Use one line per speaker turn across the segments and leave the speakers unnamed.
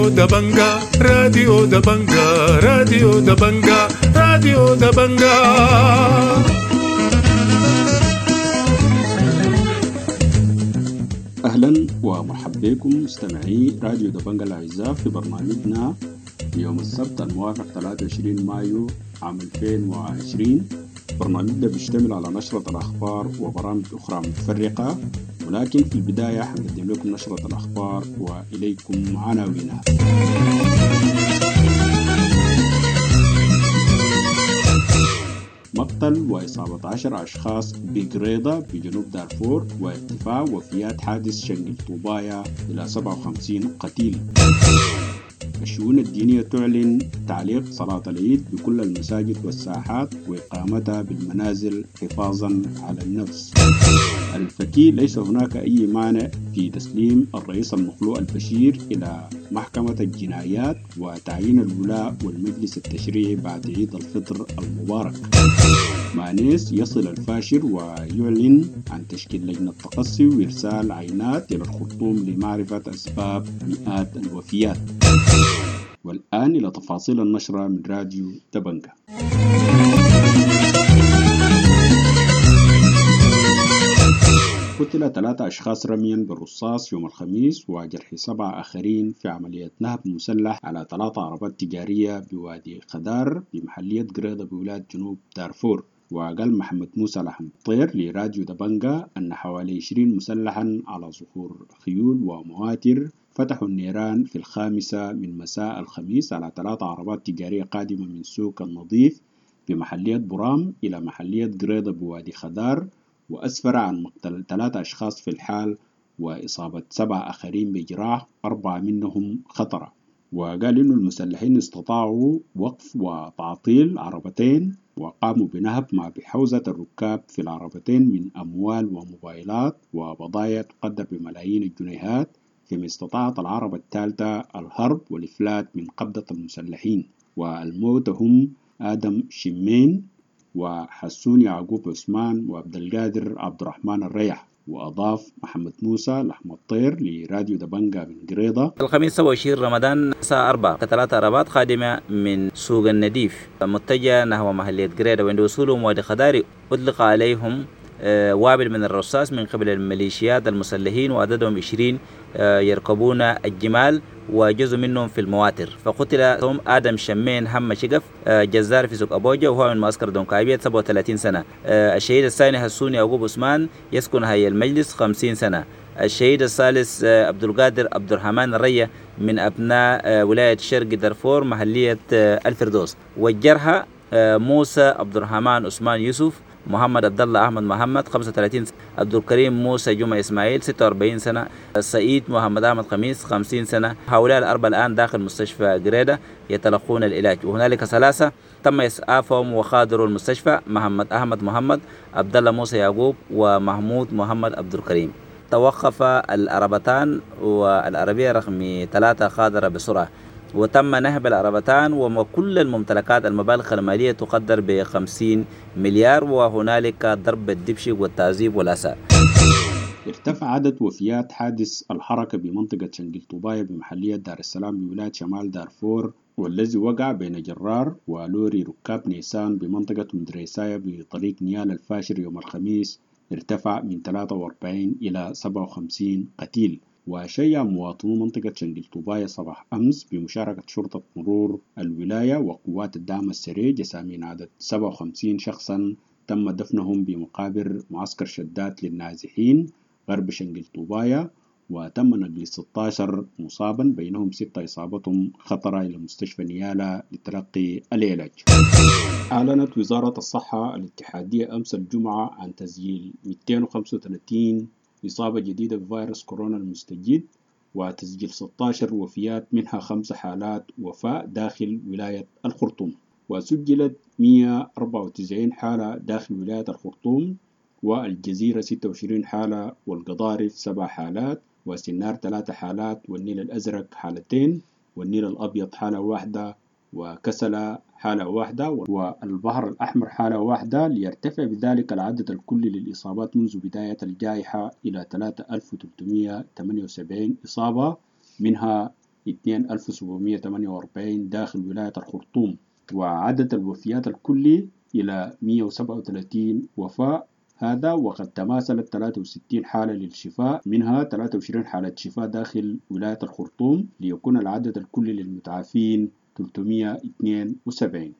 راديو دبنجا، راديو دبنجا، راديو دبنجا، راديو دبنجا.
أهلا ومرحبا بكم مستمعي راديو دبنجا الأعزاء في برنامجنا يوم السبت الموافق 23 مايو عام 2020. برنامجنا بيشتمل على نشرة الأخبار وبرامج أخرى متفرقة، ولكن في البداية حنقدم لكم نشرة الأخبار وإليكم عناوينها. مقتل وإصابة 10 أشخاص بقريضة بجنوب دارفور وارتفاع وفيات حادث شنقل طوبايا إلى 57 قتيل. الشؤون الدينية تعلن تعليق صلاة العيد بكل المساجد والساحات وإقامتها بالمنازل حفاظا على النفس. الفكي ليس هناك أي مانع في تسليم الرئيس المخلوع البشير إلى محكمة الجنايات وتعيين الولاء والمجلس التشريعي بعد عيد الفطر المبارك. مانيس يصل الفاشر ويعلن عن تشكيل لجنة تقصي وإرسال عينات إلى الخرطوم لمعرفة أسباب مئات الوفيات. والآن إلى تفاصيل النشرة من راديو دبنجا. قتل 3 أشخاص رميا بالرصاص يوم الخميس وجرح 7 آخرين في عملية نهب مسلح على 3 عربات تجارية بوادي خدار بمحلية قريضة بولاية جنوب دارفور. وقال محمد موسى لحم طير لراديو دبنجا أن حوالي 20 مسلحا على ظهور خيول ومواتر فتحوا النيران في 5 من مساء الخميس على 3 عربات تجارية قادمة من سوق النظيف بمحلية برام إلى محلية قريضة بوادي خدار، وأسفر عن مقتل 3 أشخاص في الحال وإصابة 7 آخرين بجراح، 4 منهم خطرة. وقال إنه المسلحين استطاعوا وقف وتعطيل عربتين وقاموا بنهب ما بحوزة الركاب في العربتين من أموال وموبايلات وبضائع تقدر بملايين الجنيهات، فيما استطاعت العربة الثالثة الهرب والإفلات من قبضة المسلحين. والموت هم آدم شمين وحسون يعقوب عثمان وعبد القادر عبد الرحمن الريح. وأضاف محمد موسى لحم الطير لراديو دبنجا من قريضة.
الخميس 27 رمضان الساعة 4 3 عربات خادمة من سوق النديف متجهة نحو محلية قريضة، وعند وصولهم وادي خداري أطلق عليهم وابل من الرصاص من قبل الميليشيات المسلحين، وعددهم 20 يركبون الجمال وجزء منهم في المواتر. فقتل هم آدم شمين هم شقف جزار في سوق أبوجا وهو من معسكر دونكايبية 37 سنة. الشهيد الثاني حسوني يعقوب عثمان يسكن هاي المجلس 50 سنة. الشهيد الثالث عبد القادر عبد الرحمن الرية من أبناء ولاية شرق دارفور محلية الفردوس. والجرحى موسى عبد الرحمن عثمان يوسف، محمد عبد الله احمد محمد 35، عبد الكريم موسى جمعة اسماعيل 46 سنة، سعيد محمد احمد خميس 50 سنة. هؤلاء الاربعة الان داخل مستشفى قريدة يتلقون العلاج، وهنالك 3 تم اسعافهم وخادروا المستشفى: محمد احمد محمد، عبد الله موسى يعقوب، ومحمود محمد عبد الكريم. توقف العربتان والعربية رقم 3 خادرة بسرعة، وتم نهب العربتان وكل الممتلكات. المبالغ المالية تقدر ب 50 مليار، وهنالك ضرب الدبش والتعذيب والأسى.
ارتفع عدد وفيات حادث الحركة بمنطقة شنقل طوبايا بمحلية دار السلام بولاية شمال دارفور، والذي وقع بين جرار ولوري ركاب نيسان بمنطقة مدريسايا بطريق نيال الفاشر يوم الخميس، ارتفع من 43 إلى 57 قتيل. وشيع مواطنو منطقة شنقل طوبايا صباح أمس بمشاركة شرطة مرور الولاية وقوات الدعم السريع جسامين عدد 57 شخصا تم دفنهم بمقابر معسكر شدات للنازحين غرب شنقل طوبايا، وتم نقل 16 مصابا بينهم 6 إصابتهم خطرة إلى مستشفى نيالا لتلقي العلاج. أعلنت وزارة الصحة الاتحادية أمس الجمعة عن تسجيل 235 إصابة جديدة بفيروس كورونا المستجد وتسجيل 16 وفيات، منها 5 حالات وفاة داخل ولاية الخرطوم. وسجلت 194 حالة داخل ولاية الخرطوم، والجزيرة 26 حالة، والقضارف 7 حالات، وسنار 3 حالات، والنيل الأزرق حالتين، والنيل الأبيض حالة واحدة، وكسلة حالة واحدة، والبحر الأحمر حالة واحدة، ليرتفع بذلك العدد الكلي للإصابات منذ بداية الجائحة إلى 3378 إصابة، منها 2748 داخل ولاية الخرطوم، وعدد الوفيات الكلي إلى 137 وفاة. هذا وقد تماثلت 63 حالة للشفاء، منها 23 حالة شفاء داخل ولاية الخرطوم، ليكون العدد الكلي للمتعافين 372.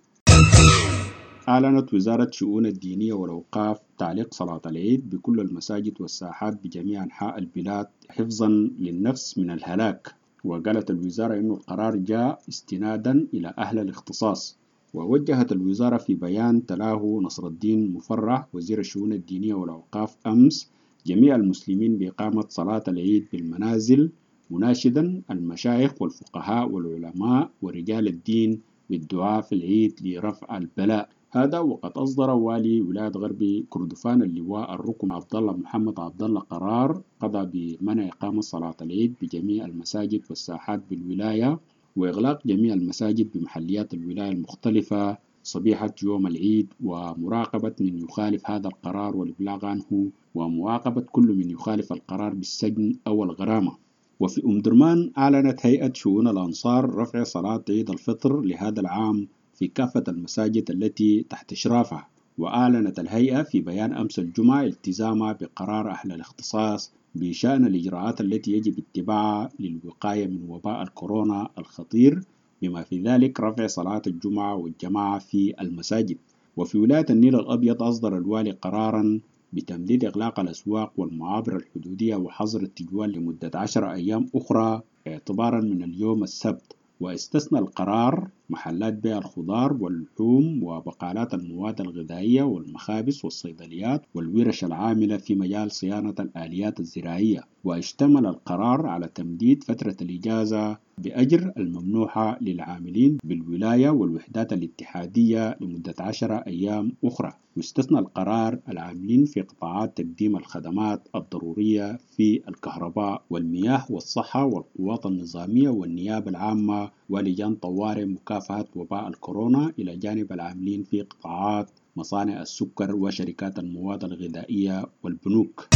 أعلنت وزارة شؤون الدينية والأوقاف تعليق صلاة العيد بكل المساجد والساحات بجميع أنحاء البلاد حفظا للنفس من الهلاك. وقالت الوزارة أن القرار جاء استنادا إلى أهل الاختصاص. ووجهت الوزارة في بيان تلاه نصر الدين مفرح وزير الشؤون الدينية والأوقاف أمس جميع المسلمين بإقامة صلاة العيد بالمنازل، مناشدا المشايخ والفقهاء والعلماء ورجال الدين بالدعاء في العيد لرفع البلاء. هذا وقد أصدر والي ولاية غرب كردفان اللواء الركن عبد الله محمد عبد الله قرار قضى بمنع إقامة صلاة العيد بجميع المساجد والساحات بالولاية، وإغلاق جميع المساجد بمحليات الولاية المختلفة صبيحة يوم العيد، ومراقبة من يخالف هذا القرار والإبلاغ عنه، ومعاقبة كل من يخالف القرار بالسجن أو الغرامة. وفي أم درمان أعلنت هيئة شؤون الأنصار رفع صلاة عيد الفطر لهذا العام في كافة المساجد التي تحت إشرافها. وأعلنت الهيئة في بيان أمس الجمعة التزامها بقرار أهل الاختصاص بشأن الإجراءات التي يجب اتباعها للوقاية من وباء الكورونا الخطير، بما في ذلك رفع صلاة الجمعة والجماعة في المساجد. وفي ولاية النيل الأبيض أصدر الوالي قرارا بتمديد إغلاق الأسواق والمعابر الحدودية وحظر التجوال لمدة 10 أيام أخرى اعتبارا من اليوم السبت. واستثنى القرار محلات بيع الخضار واللحوم وبقالات المواد الغذائية والمخابز والصيدليات والورش العاملة في مجال صيانة الآليات الزراعية. واشتمل القرار على تمديد فترة الإجازة بأجر الممنوحة للعاملين بالولاية والوحدات الاتحادية لمدة 10 أيام أخرى. واستثنى القرار العاملين في قطاعات تقديم الخدمات الضرورية في الكهرباء والمياه والصحة والقوات النظامية والنيابة العامة ولجان طوارئ مكافحة وباء الكورونا، إلى جانب العاملين في قطاعات مصانع السكر وشركات المواد الغذائية والبنوك.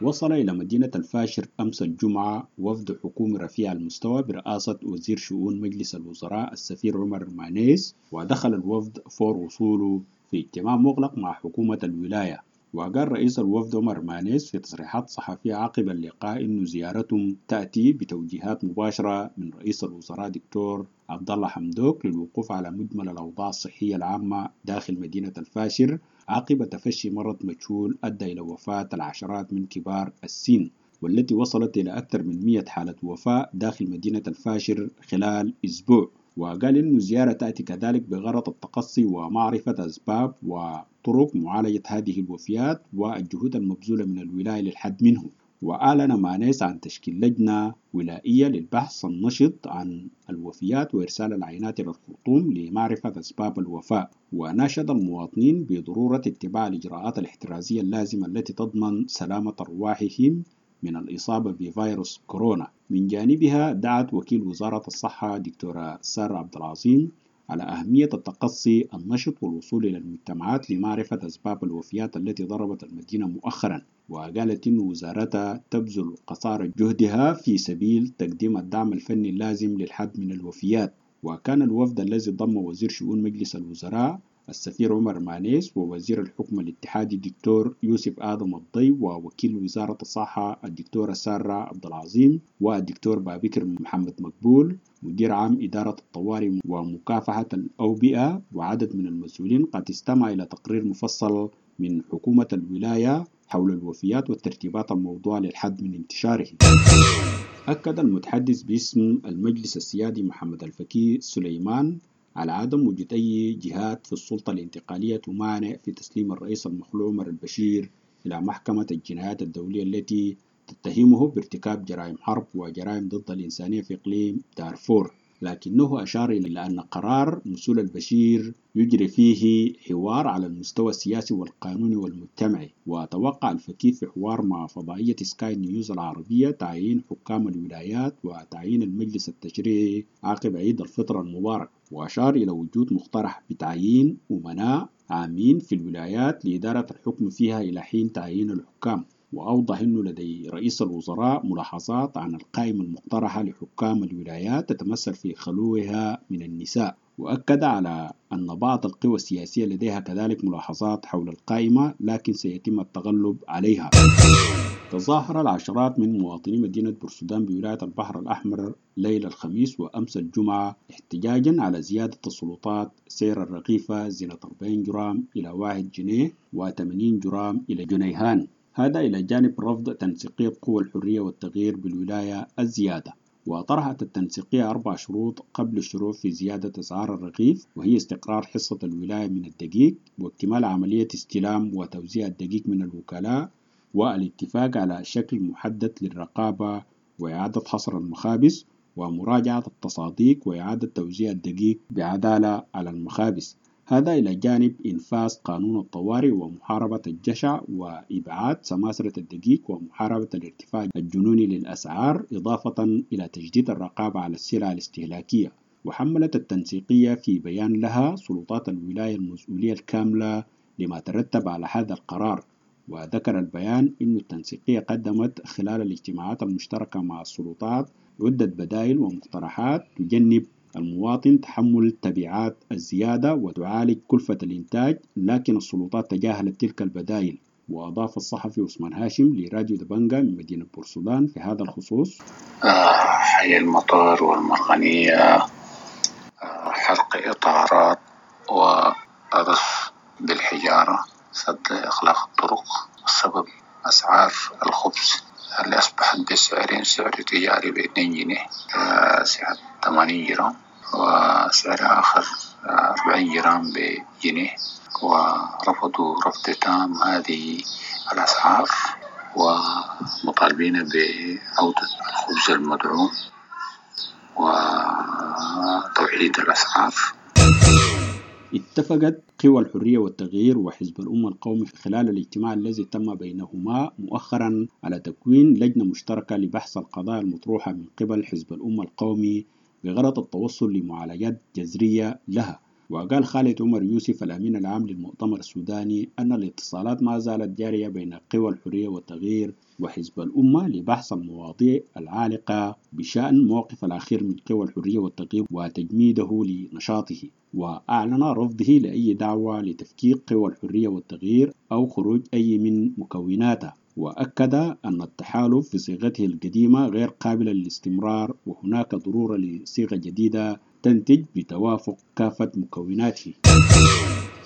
وصل إلى مدينة الفاشر أمس الجمعة وفد حكومي رفيع المستوى برئاسة وزير شؤون مجلس الوزراء السفير عمر مانيس، ودخل الوفد فور وصوله في اجتماع مغلق مع حكومة الولاية. وقال رئيس الوفد عمر مانيس في تصريحات صحفية عقب اللقاء إن زيارتهم تأتي بتوجيهات مباشرة من رئيس الوزراء دكتور عبد الله حمدوك للوقوف على مجمل الأوضاع الصحية العامة داخل مدينة الفاشر عقب تفشي مرض مجهول أدى إلى وفاة العشرات من كبار السن، والتي وصلت إلى أكثر من 100 حالة وفاة داخل مدينة الفاشر خلال أسبوع. وقال إنه الزيارة تأتي كذلك بغرض التقصي ومعرفة أسباب وطرق معالجة هذه الوفيات والجهود المبذولة من الولاية للحد منه. وأعلن مانيس عن تشكيل لجنة ولائية للبحث النشط عن الوفيات وإرسال العينات إلى الخرطوم لمعرفة أسباب الوفاة. وناشد المواطنين بضرورة اتباع الإجراءات الاحترازية اللازمة التي تضمن سلامة أرواحهم من الإصابة بفيروس كورونا. من جانبها دعت وكيل وزارة الصحة دكتورة سارة عبد العظيم على أهمية التقصي النشط والوصول إلى المجتمعات لمعرفة أسباب الوفيات التي ضربت المدينة مؤخرا. وقالت إن وزارتها تبذل قصارى جهدها في سبيل تقديم الدعم الفني اللازم للحد من الوفيات. وكان الوفد الذي ضم وزير شؤون مجلس الوزراء السفير عمر مانيس ووزير الحكم الاتحادي الدكتور يوسف آدم الضي ووكيل وزارة الصحة الدكتورة سارة عبد العظيم والدكتور بابكر محمد مقبول مدير عام إدارة الطوارئ ومكافحة الأوبئة وعدد من المسؤولين قد استمع إلى تقرير مفصل من حكومة الولاية حول الوفيات والترتيبات الموضوعة للحد من انتشاره. أكد المتحدث باسم المجلس السيادي محمد الفكي سليمان على عدم وجود أي جهات في السلطة الانتقالية تمانع في تسليم الرئيس المخلوع عمر البشير إلى محكمة الجنايات الدولية التي تتهمه بارتكاب جرائم حرب وجرائم ضد الإنسانية في إقليم دارفور، لكنه أشار إلى أن قرار نزول البشير يجري فيه حوار على المستوى السياسي والقانوني والمجتمعي. وتوقع الفكي في حوار مع فضائية سكاي نيوز العربية تعيين حكام الولايات وتعيين المجلس التشريعي عقب عيد الفطر المبارك، وأشار إلى وجود مقترح بتعيين أمناء عامين في الولايات لإدارة الحكم فيها إلى حين تعيين الحكام. وأوضح أنه لدي رئيس الوزراء ملاحظات عن القائمة المقترحة لحكام الولايات تتمثل في خلوها من النساء. وأكد على أن بعض القوى السياسية لديها كذلك ملاحظات حول القائمة، لكن سيتم التغلب عليها. تظاهر العشرات من مواطني مدينة بورسودان بولاية البحر الأحمر ليلة الخميس وأمس الجمعة احتجاجا على زيادة السلطات سعر الرغيفة زينة 40 جرام إلى 1 جنيه و80 جرام إلى جنيهان، هذا إلى جانب رفض تنسيقية قوى الحرية والتغيير بالولاية الزيادة. وطرحت التنسيقية 4 شروط قبل الشروع في زيادة أسعار الرغيف، وهي استقرار حصة الولاية من الدقيق، واكتمال عملية استلام وتوزيع الدقيق من الوكلاء، والاتفاق على شكل محدد للرقابة وإعادة حصر المخابز، ومراجعة التصاديق وإعادة توزيع الدقيق بعدالة على المخابز. هذا إلى جانب إنفاذ قانون الطوارئ ومحاربة الجشع وإبعاد سماسرة الدقيق ومحاربة الارتفاع الجنوني للأسعار، إضافة إلى تشديد الرقابة على السلع الاستهلاكية. وحملت التنسيقية في بيان لها سلطات الولاية المسؤولية الكاملة لما ترتب على هذا القرار. وذكر البيان أن التنسيقية قدمت خلال الاجتماعات المشتركة مع السلطات عدة بدائل ومقترحات تجنب المواطن تحمل تبعات الزيادة وتعالج كلفة الإنتاج، لكن السلطات تجاهلت تلك البدائل. وأضاف الصحفي عثمان هاشم لراديو دبنجا من مدينة بورسودان في هذا الخصوص:
حي المطار والمرغنية، حرق إطارات وقذف بالحجارة، سد إغلاق الطرق، السبب أسعار الخبز اللي أصبحت بسعرين، سعر تجاري ب2 جنيه سعر 80 جرام، وسعر آخر 40 جرام بجنيه، ورفضوا رفض تام هذه الأسعار ومطالبين بعودة الخبز المدعوم وتوحيد الأسعار.
اتفقت قوى الحرية والتغيير وحزب الأمة القومي خلال الاجتماع الذي تم بينهما مؤخرا على تكوين لجنة مشتركة لبحث القضايا المطروحة من قبل حزب الأمة القومي بغرض التوصل لمعالجات جذرية لها. وقال خالد عمر يوسف الأمين العام للمؤتمر السوداني أن الاتصالات ما زالت جارية بين قوى الحرية والتغيير وحزب الأمة لبحث المواضيع العالقة بشأن موقف الأخير من قوى الحرية والتغيير وتجميده لنشاطه. وأعلن رفضه لأي دعوة لتفكيك قوى الحرية والتغيير أو خروج أي من مكوناتها. وأكد أن التحالف في صيغته القديمة غير قابل للاستمرار، وهناك ضرورة لصيغة جديدة تنتج بتوافق كافة مكوناته.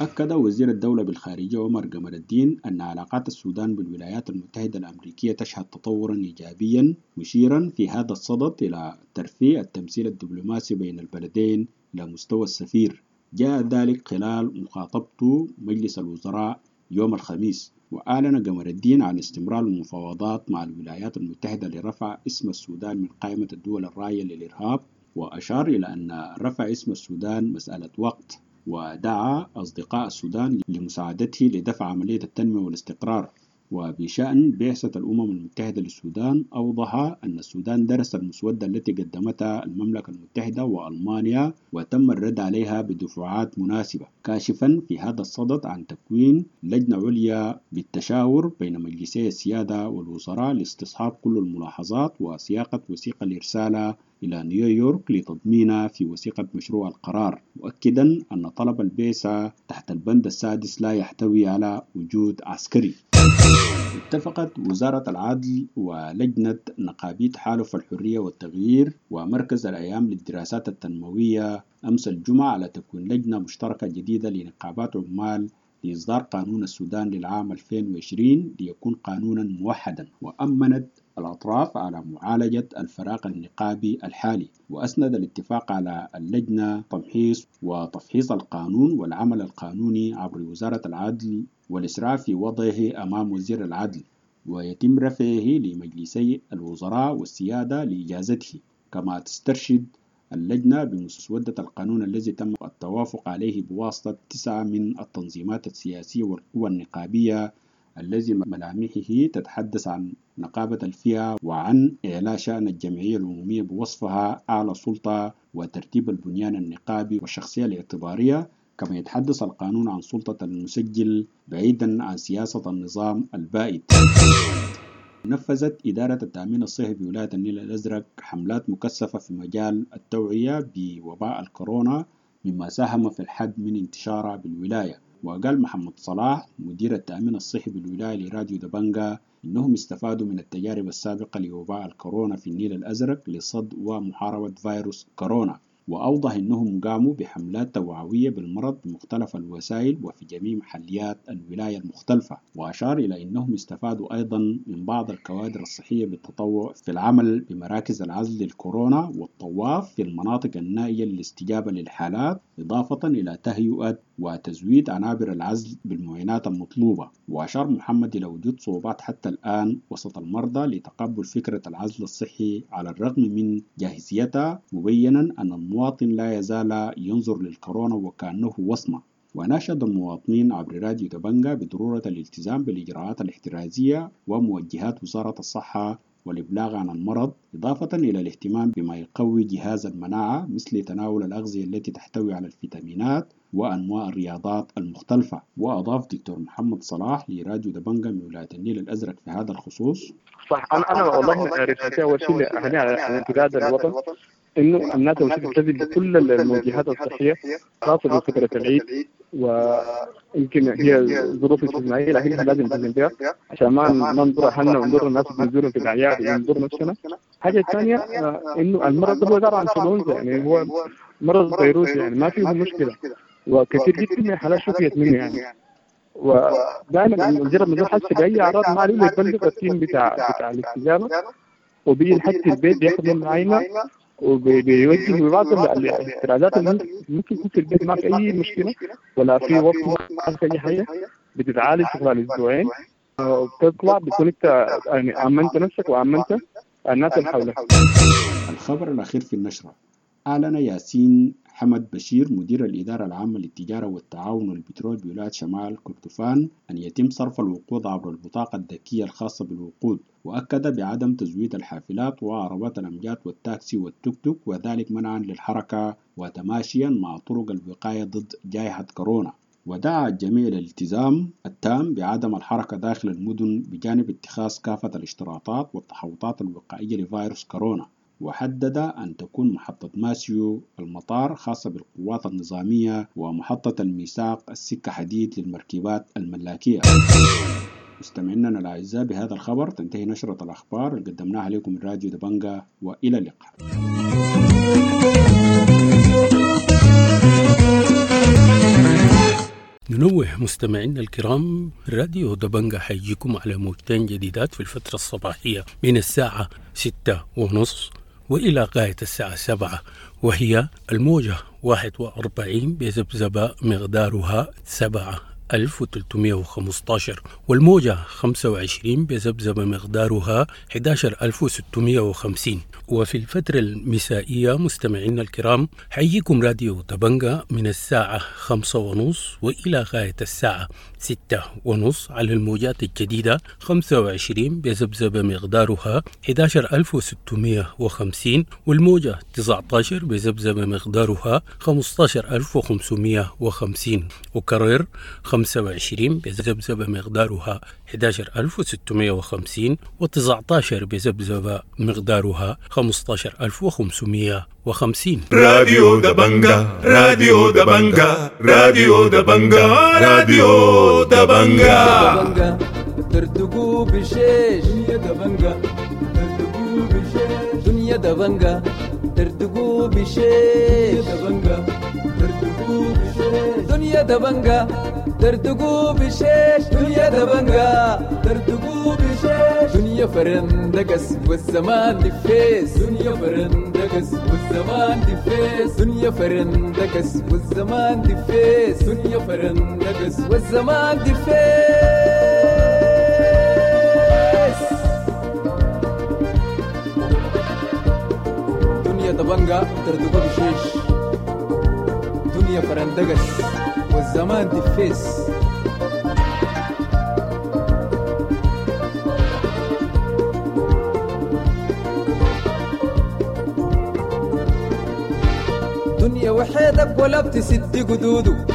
أكد وزير الدولة بالخارجية عمر قمر الدين أن علاقات السودان بالولايات المتحدة الأمريكية تشهد تطورا إيجابيا، مشيرا في هذا الصدد إلى ترفيع التمثيل الدبلوماسي بين البلدين إلى مستوى السفير. جاء ذلك خلال مخاطبته مجلس الوزراء يوم الخميس. وأعلن قمر الدين عن استمرار المفاوضات مع الولايات المتحدة لرفع اسم السودان من قائمة الدول الراعية للإرهاب، وأشار إلى أن رفع اسم السودان مسألة وقت، ودعا أصدقاء السودان لمساعدته لدفع عملية التنمية والاستقرار. وبشأن بعثة الأمم المتحدة للسودان، أوضح أن السودان درس المسودة التي قدمتها المملكة المتحدة وألمانيا وتم الرد عليها بدفعات مناسبة، كاشفا في هذا الصدد عن تكوين لجنة عليا بالتشاور بين مجلسي السيادة والوزراء لاستصحاب كل الملاحظات وسياقة وثيقة الإرسال إلى نيويورك لتضمينها في وثيقة مشروع القرار، مؤكدا أن طلب البعثة تحت البند السادس لا يحتوي على وجود عسكري. اتفقت وزارة العدل ولجنة نقابي تحالف الحرية والتغيير ومركز الأيام للدراسات التنموية أمس الجمعة على تكوين لجنة مشتركة جديدة لنقابات عمال لإصدار قانون السودان للعام 2020 ليكون قانونا موحدا. وأمنت الأطراف على معالجة الفراغ النقابي الحالي، وأسند الاتفاق على اللجنة تمحيص وتفحيص القانون والعمل القانوني عبر وزارة العدل والإسراع في وضعه أمام وزير العدل، ويتم رفعه لمجلسي الوزراء والسيادة لإجازته. كما تسترشد اللجنة بمسودة القانون الذي تم التوافق عليه بواسطة 9 من التنظيمات السياسية والقوى النقابية، الذي ملامحه تتحدث عن نقابة الفئة وعن إعلاء شأن الجمعية العمومية بوصفها أعلى سلطة وترتيب البنيان النقابي والشخصية الاعتبارية. كما يتحدث القانون عن سلطة المسجل بعيدا عن سياسة النظام البائد. نفذت إدارة التأمين الصحي في ولاية النيل الأزرق حملات مكثفة في مجال التوعية بوباء الكورونا، مما ساهم في الحد من انتشارها بالولاية. وقال محمد صلاح مدير التأمين الصحي بالولاية لراديو دبنجا إنهم استفادوا من التجارب السابقة لوباء الكورونا في النيل الأزرق لصد ومحاربة فيروس كورونا، وأوضح أنهم قاموا بحملات توعوية بالمرض بمختلف الوسائل وفي جميع محليات الولاية المختلفة. وأشار إلى أنهم استفادوا أيضا من بعض الكوادر الصحية بالتطوع في العمل بمراكز العزل للكورونا والطواف في المناطق النائية للاستجابة للحالات، إضافة إلى تهيئة وتزويد عنابر العزل بالمعينات المطلوبة. وأشار محمد إلى وجود صعوبات حتى الآن وسط المرضى لتقبل فكرة العزل الصحي على الرغم من جاهزيتها، مبينا أن المواطن لا يزال ينظر للكورونا وكأنه وصمة. وناشد المواطنين عبر راديو دبنجا بضرورة الالتزام بالإجراءات الاحترازية وموجهات وزارة الصحة والإبلاغ عن المرض، إضافة إلى الاهتمام بما يقوي جهاز المناعة مثل تناول الأغذية التي تحتوي على الفيتامينات وأنواع الرياضات المختلفة. وأضاف دكتور محمد صلاح لراديو دبنجا من ولاية النيل الأزرق في هذا الخصوص:
صح، أنا والله رسالتي أول شيء لأهلي على امتداد الوطن إنه الناس أول شيء تلتزم بكل الموجهات الصحية خاصة بفترة العيد، ويمكن هي ظروف استثنائية لكن لازم نلتزم بها عشان ما نضر أهلنا ونضر الناس اللي بنزورهم في الأعياد ونضر نفسنا. الحاجة الثانية إنه المرض هو عبارة عن انفلونزا، يعني هو مرض فيروسي، يعني ما فيه مشكلة، وكثير جدا من الحالات شفيت منه يعني. ودائما مجرد ما حس بأي أعراض ما عليه يبلغ ال team بتاع الاستجابة، وبيجي لحد البيت بياخذ منه عينة وبيوجه ببعض الاحترازات اللي ممكن يكون في البيت ما في أي مشكلة ولا في وقت ما في أي حاجة، بتتعالج خلال أسبوعين وبتطلع بتكون أنت يعني أمنت نفسك وأمنت الناس اللي حولك.
الخبر الأخير في النشرة: أعلن ياسين حمد بشير مدير الإدارة العامة للتجارة والتعاون والبترول بولاية شمال كردفان أن يتم صرف الوقود عبر البطاقة الذكية الخاصة بالوقود، وأكد بعدم تزويد الحافلات وعربات الأمجاد والتاكسي والتوك توك، وذلك منعا للحركة وتماشيا مع طرق الوقاية ضد جائحة كورونا. ودعا الجميع للالتزام التام بعدم الحركة داخل المدن بجانب اتخاذ كافة الاشتراطات والتحوطات الوقائية لفيروس كورونا. وحدد أن تكون محطة ماسيو المطار خاصة بالقوات النظامية ومحطة الميثاق السكة حديد للمركبات الملاكية. مستمعينا الأعزاء، بهذا الخبر تنتهي نشرة الأخبار اللي قدمناها لكم من راديو دبنجا، وإلى اللقاء.
ننوه مستمعينا الكرام، راديو دبنجا حيجيكم على موجتين جديدات في الفترة الصباحية من الساعة 6:30 وإلى غاية الساعة 7، وهي الموجة 41 بذبذبة مقدارها 7315، والموجة 25 بذبذبة مقدارها 11650. وفي الفترة المسائية مستمعينا الكرام حييكم راديو دبنجا من الساعة 5:30 وإلى غاية الساعة 6:30 على الموجات الجديدة 25 بذبذبة مقدارها 11650، والموجة 19 بذبذبة مقدارها 15550، وكرر 25 بذبذبة مقدارها 11650، و19 بذبذبة مقدارها 15550.
راديو دبنجا، راديو دبنجا، راديو دبنجا، راديو دبنجا.
ترتقوا بشيش دنيا دبنجا، ترتقوا بشيش دنيا دبنجا، ترتقوا بشيش دبنجا، ترتقوا بشيش دنيا دبنجا، ترتقوا بشيش دنيا دبنجا، ترتقوا بشيش دنيا فرندقس والزمان دفيس، دنيا فرندقس والزمان دفيس، دنيا فرندقس والزمان دفيس، دنيا فرندقس والزمان دفيس. دنيا دبنجا ترتقوا بشيش دنيا فرندقس والزمان دفيس. دنيا وحيدك ولا بتسد قدوده،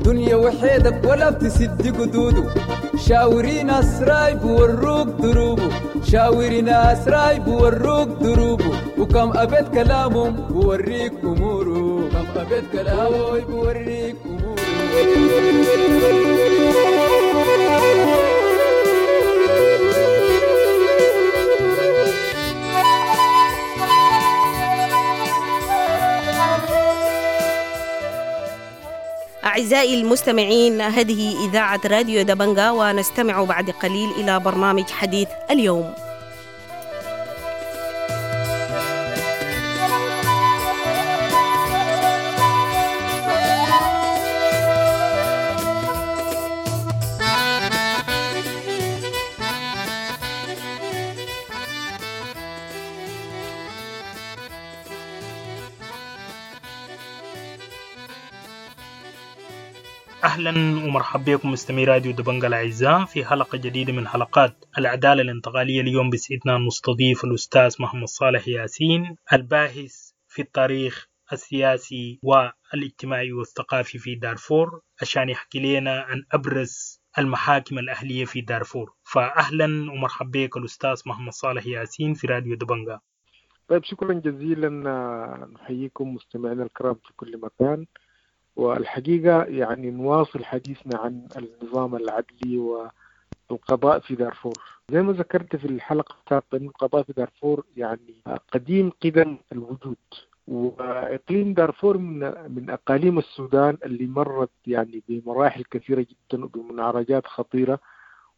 دنيا وحيدك ولا بتسد قدوده، شاوري ناس راي بوروك دروبه، شاوري ناس راي بوروك دروبه، وكم أبيت كلامهم بوريك أموره، كم أبيت كلامه بوريك أموره.
أعزائي المستمعين، هذه إذاعة راديو دبنجا، ونستمع بعد قليل إلى برنامج حديث اليوم.
أهلا ومرحبا بكم مستمعي راديو دبنجا الأعزاء في حلقة جديدة من حلقات العدالة الانتقالية. اليوم بسعدنا نستضيف الأستاذ محمد صالح ياسين، الباحث في التاريخ السياسي والاجتماعي والثقافي في دارفور، عشان يحكي لنا عن أبرز المحاكم الأهلية في دارفور. فأهلا ومرحبا بك الأستاذ محمد صالح ياسين في راديو دبنجا.
طيب، شكرا جزيلا، نحييكم مستمعينا الكرام في كل مكان. والحقيقة يعني نواصل حديثنا عن النظام العدلي والقضاء في دارفور. زي ما ذكرت في الحلقة السابقة أن القضاء في دارفور يعني قديم قدم الوجود، وإقليم دارفور من أقاليم السودان اللي مرت يعني بمراحل كثيرة جدا وبمنعرجات خطيرة،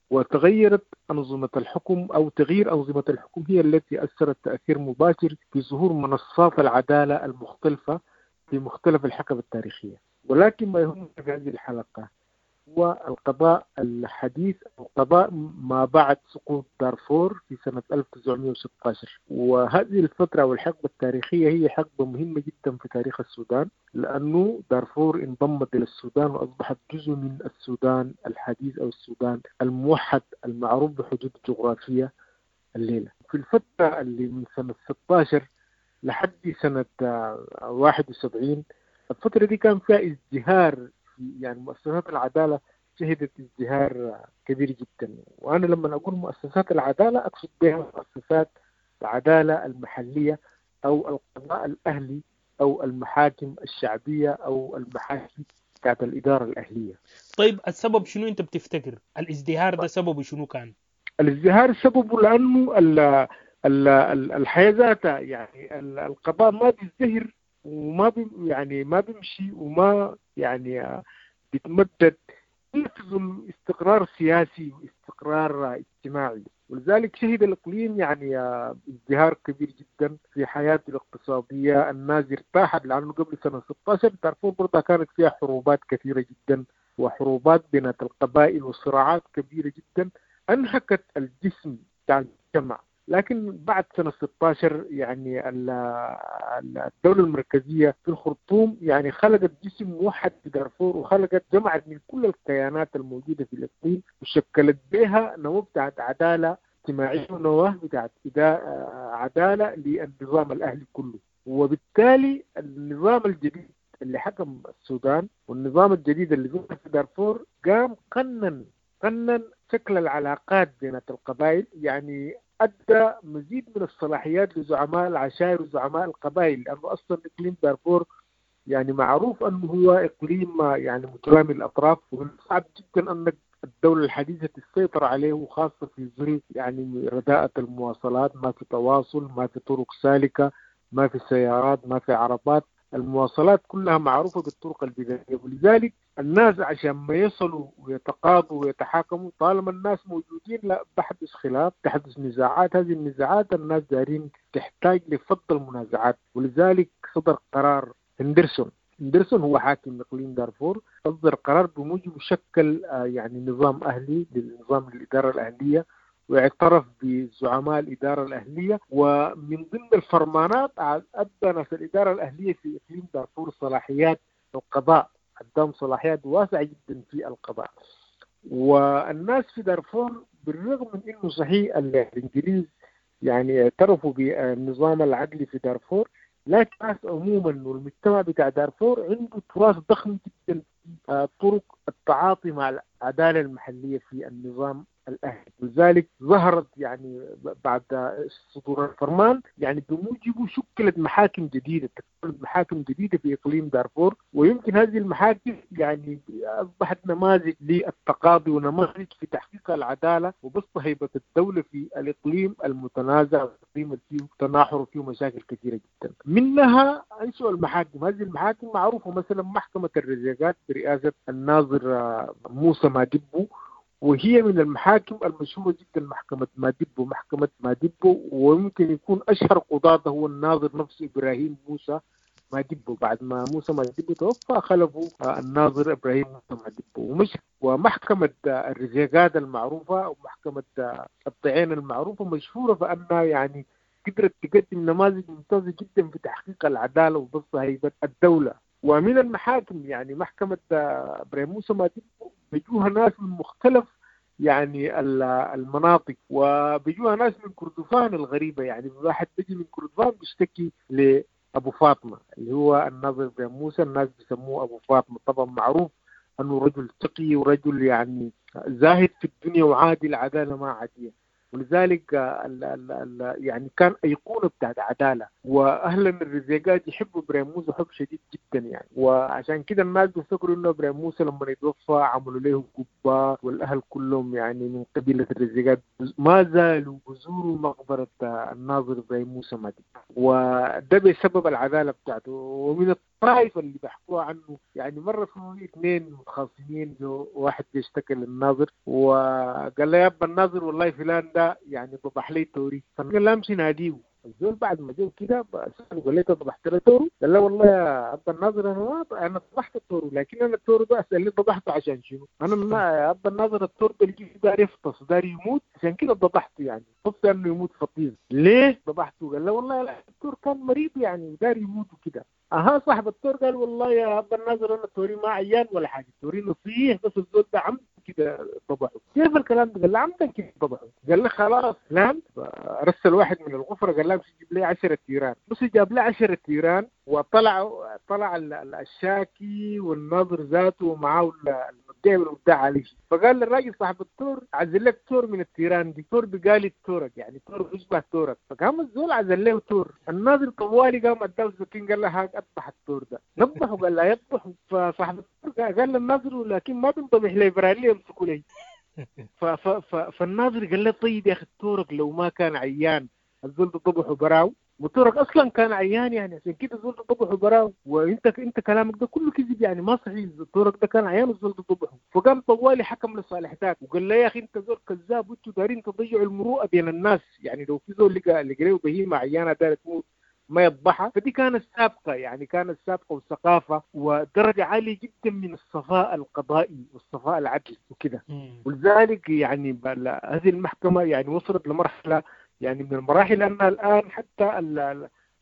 وتغيرت أنظمة الحكم أو تغيير أنظمة الحكم هي التي أثرت تأثير مباشر في ظهور منصات العدالة المختلفة في مختلف الحقب التاريخية. ولكن ما يهمنا في هذه الحلقة هو القضاء الحديث أو قضاء ما بعد سقوط دارفور في سنة 1916. وهذه الفترة والحقبة التاريخية هي حقبة مهمة جدا في تاريخ السودان، لأنه دارفور انضمت إلى السودان وأصبحت جزء من السودان الحديث أو السودان الموحد المعروف بحدود الجغرافية الليلة. في الفترة اللي من سنة 16 لحد سنة 71، الفترة دي كان فيها ازدهار، يعني مؤسسات العدالة شهدت ازدهار كبير جدا. وأنا لما أقول مؤسسات العدالة أقصد بها مؤسسات العدالة المحلية أو القضاء الأهلي أو المحاكم الشعبية أو المحاكم بتاعت الإدارة الأهلية.
طيب، السبب شنو أنت بتفتكر؟ الازدهار ده سببه شنو كان؟
الازدهار سببه لأنه الحياة ذاتها، يعني القضاء ما بيزدهر وما يعني ما بيمشي وما يعني بيتمدد إلا في ظل استقرار سياسي واستقرار اجتماعي. ولذلك شهد الإقليم يعني ازدهار كبير جدا في حياته الاقتصادية. الناس ارتاحت لأنه قبل سنة 16 دارفور برضه كانت فيها حروبات كثيرة جدا وحروبات بين القبائل وصراعات كبيرة جدا أنهكت الجسم بتاع المجتمع. لكن بعد سنة 16 يعني الدولة المركزية في الخرطوم يعني خلقت جسم موحد في دارفور، وخلقت جمعت من كل الكيانات الموجودة في الإقليم وشكلت بها نواة بتاعت عدالة اجتماعية ونواة بتاعت عدالة للنظام الأهلي كله. وبالتالي النظام الجديد اللي حكم السودان والنظام الجديد اللي ظهر في دارفور قام قنن شكل العلاقات بين القبائل، يعني أدى مزيد من الصلاحيات لزعماء العشائر وزعماء القبائل، لأنه أصلا إقليم دارفور يعني معروف أنه هو إقليم يعني مترامي الأطراف، ومن الصعب جدا أنك الدولة الحديثة تسيطر عليه، وخاصة في ظل يعني رداءة المواصلات، ما في تواصل، ما في طرق سالكة، ما في سيارات، ما في عربات، المواصلات كلها معروفة بالطرق البدائية. ولذلك الناس عشان ما يصلوا ويتقاضوا ويتحاكموا، طالما الناس موجودين لا بحدث خلاف، تحدث نزاعات، هذه النزاعات الناس دارين تحتاج لفض المنازعات. ولذلك صدر قرار هندرسون هو حاكم اقليم دارفور، اصدر قرار بموجب شكل يعني نظام اهلي للنظام الاداره الاهليه، واعترف بزعماء الإدارة الأهلية. ومن ضمن الفرمانات أدى ناس الإدارة الأهلية في إقليم دارفور صلاحيات القضاء، أداهم صلاحيات واسعة جدا في القضاء. والناس في دارفور بالرغم من أنه صحيح الإنجليز يعني اعترفوا بالنظام العدلي في دارفور، لكن الناس عموما والمجتمع بتاع دارفور عنده تراث ضخم جدا في طرق
التعاطي مع العدالة المحلية في النظام الأهلي. ولذلك ظهرت يعني بعد صدور الفرمان يعني بموجبه شكلت محاكم جديدة، محاكم جديدة في إقليم دارفور، ويمكن هذه المحاكم يعني أصبحت نماذج للتقاضي ونماذج في تحقيق العدالة وبسط هيبة الدولة في الإقليم المتنازع، الإقليم اللي فيه تناحر وفيه مشاكل كثيرة جدا. منها أنشأوا المحاكم، هذه المحاكم معروفة، مثلا محكمة الرزيقات برئاسة الناظر موسى مادبو، وهي من المحاكم المشهورة جدا، محكمة مادبو، محكمة مادبو، ويمكن يكون أشهر قضاته هو الناظر نفسه إبراهيم موسى مادبو. بعد ما موسى مادبو توفى خلفه الناظر إبراهيم موسى مادبو. ومحكمة الرزيقات المعروفة ومحكمة الطعين المعروفة مشهورة فأنها يعني قدرت تقدم نماذج ممتازة جدا في تحقيق العدالة وبسط هيبة الدولة. ومن المحاكم يعني محكمة إبراهيم موسى مادبو بيجوها ناس من مختلف يعني المناطق، وبيجوها ناس من كردفان الغريبة، يعني واحد بيجي من كردفان بيشتكي لأبو فاطمة اللي هو الناظر إبراهيم موسى، الناس بيسموه أبو فاطمة، طبعا معروف أنه رجل تقي ورجل يعني زاهد في الدنيا وعادل عدالة ما عادية، ولذلك ال ال ال يعني كان أيقونة بتاعت عدالة. وأهلا الرزيقات يحبوا إبراهيم موسى حب شديد جدا يعني، وعشان كده الناس بيفتكروا إنه إبراهيم موسى لما يتوفى عملوا له قبة، والأهل كلهم يعني من قبيلة الرزيقات ما زالوا بزوروا مقبرة الناظر إبراهيم موسى مادبو، وده بسبب العدالة بتاعته. ومن الطائف اللي بيحكوها عنه يعني مرة في اثنين متخاصمين، واحد بيشتكي للناظر وقال له يا أبا الناظر والله فلان ده يعني ذبح لي توري، فقال له امشي ناديه. الزول بعد ما جو كده سأله قال لي ذبحت له تورو؟ قال له والله يا أبا الناظر انا ذبحت التورو، لكن انا التورو ده اسالني ذبحته عشان شنو؟ انا ما يا أبا الناظر التور ده اللي داير يفطس داير يموت عشان كده ذبحته، يعني خفت انه يموت فطيس، ليه ذبحته؟ قال له والله لا التور كان مريض يعني داير يموت وكده. اها صاحب التور قال والله يا أبا الناظر انا التوري ما عيان ولا حاجه، التوري نصيح بس الزول ده عم كده ذبحه. كيف الكلام ده؟ قال له عمدا كده ذبحه. قال له خلاص نام. رسل واحد من الغفره قال له امشي جيب لي 10 تيران، بس جاب لي 10 تيران، وطلع طلع الشاكي والناظر ذاته ومعاه المدعي والمدعي عليه. فقال للراجل صاحب التور عزل لك تور من التيران دي، تور بقالي تورك يعني تور يشبه تورك. فقام الزول عزل له تور، الناظر طوالي قام اداه سكين قال له هاك اذبح التور ده، نذبحه. قال له يذبح. فصاحب التور قال للناظر لكن ما بنذبح لي برالي يمسكوا لي. فالناظر قال له طيب يا اخي تورك لو ما كان عيان الزول ده ذبحه براو، وتورك اصلا كان عيان يعني عشان كده الزول ده ذبحه براو، وانت انت كلامك ده كله كذب يعني ما صحيح، تورك ده كان عيان والزول ده ذبحه. فقام طوالي حكم لصالح ذاك وقال له يا اخي انت زول كذاب وانتوا دارين تضيعوا المروءه بين الناس، يعني لو في زول لقى له بهيمه عيانه دارت تموت ما يذبحها. فدي كانت سابقة يعني كانت سابقة وثقافة ودرجة عالية جدا من الصفاء القضائي والصفاء العدلي وكده. ولذلك يعني هذه المحكمة يعني وصلت لمرحلة يعني من المراحل أنها الآن حتى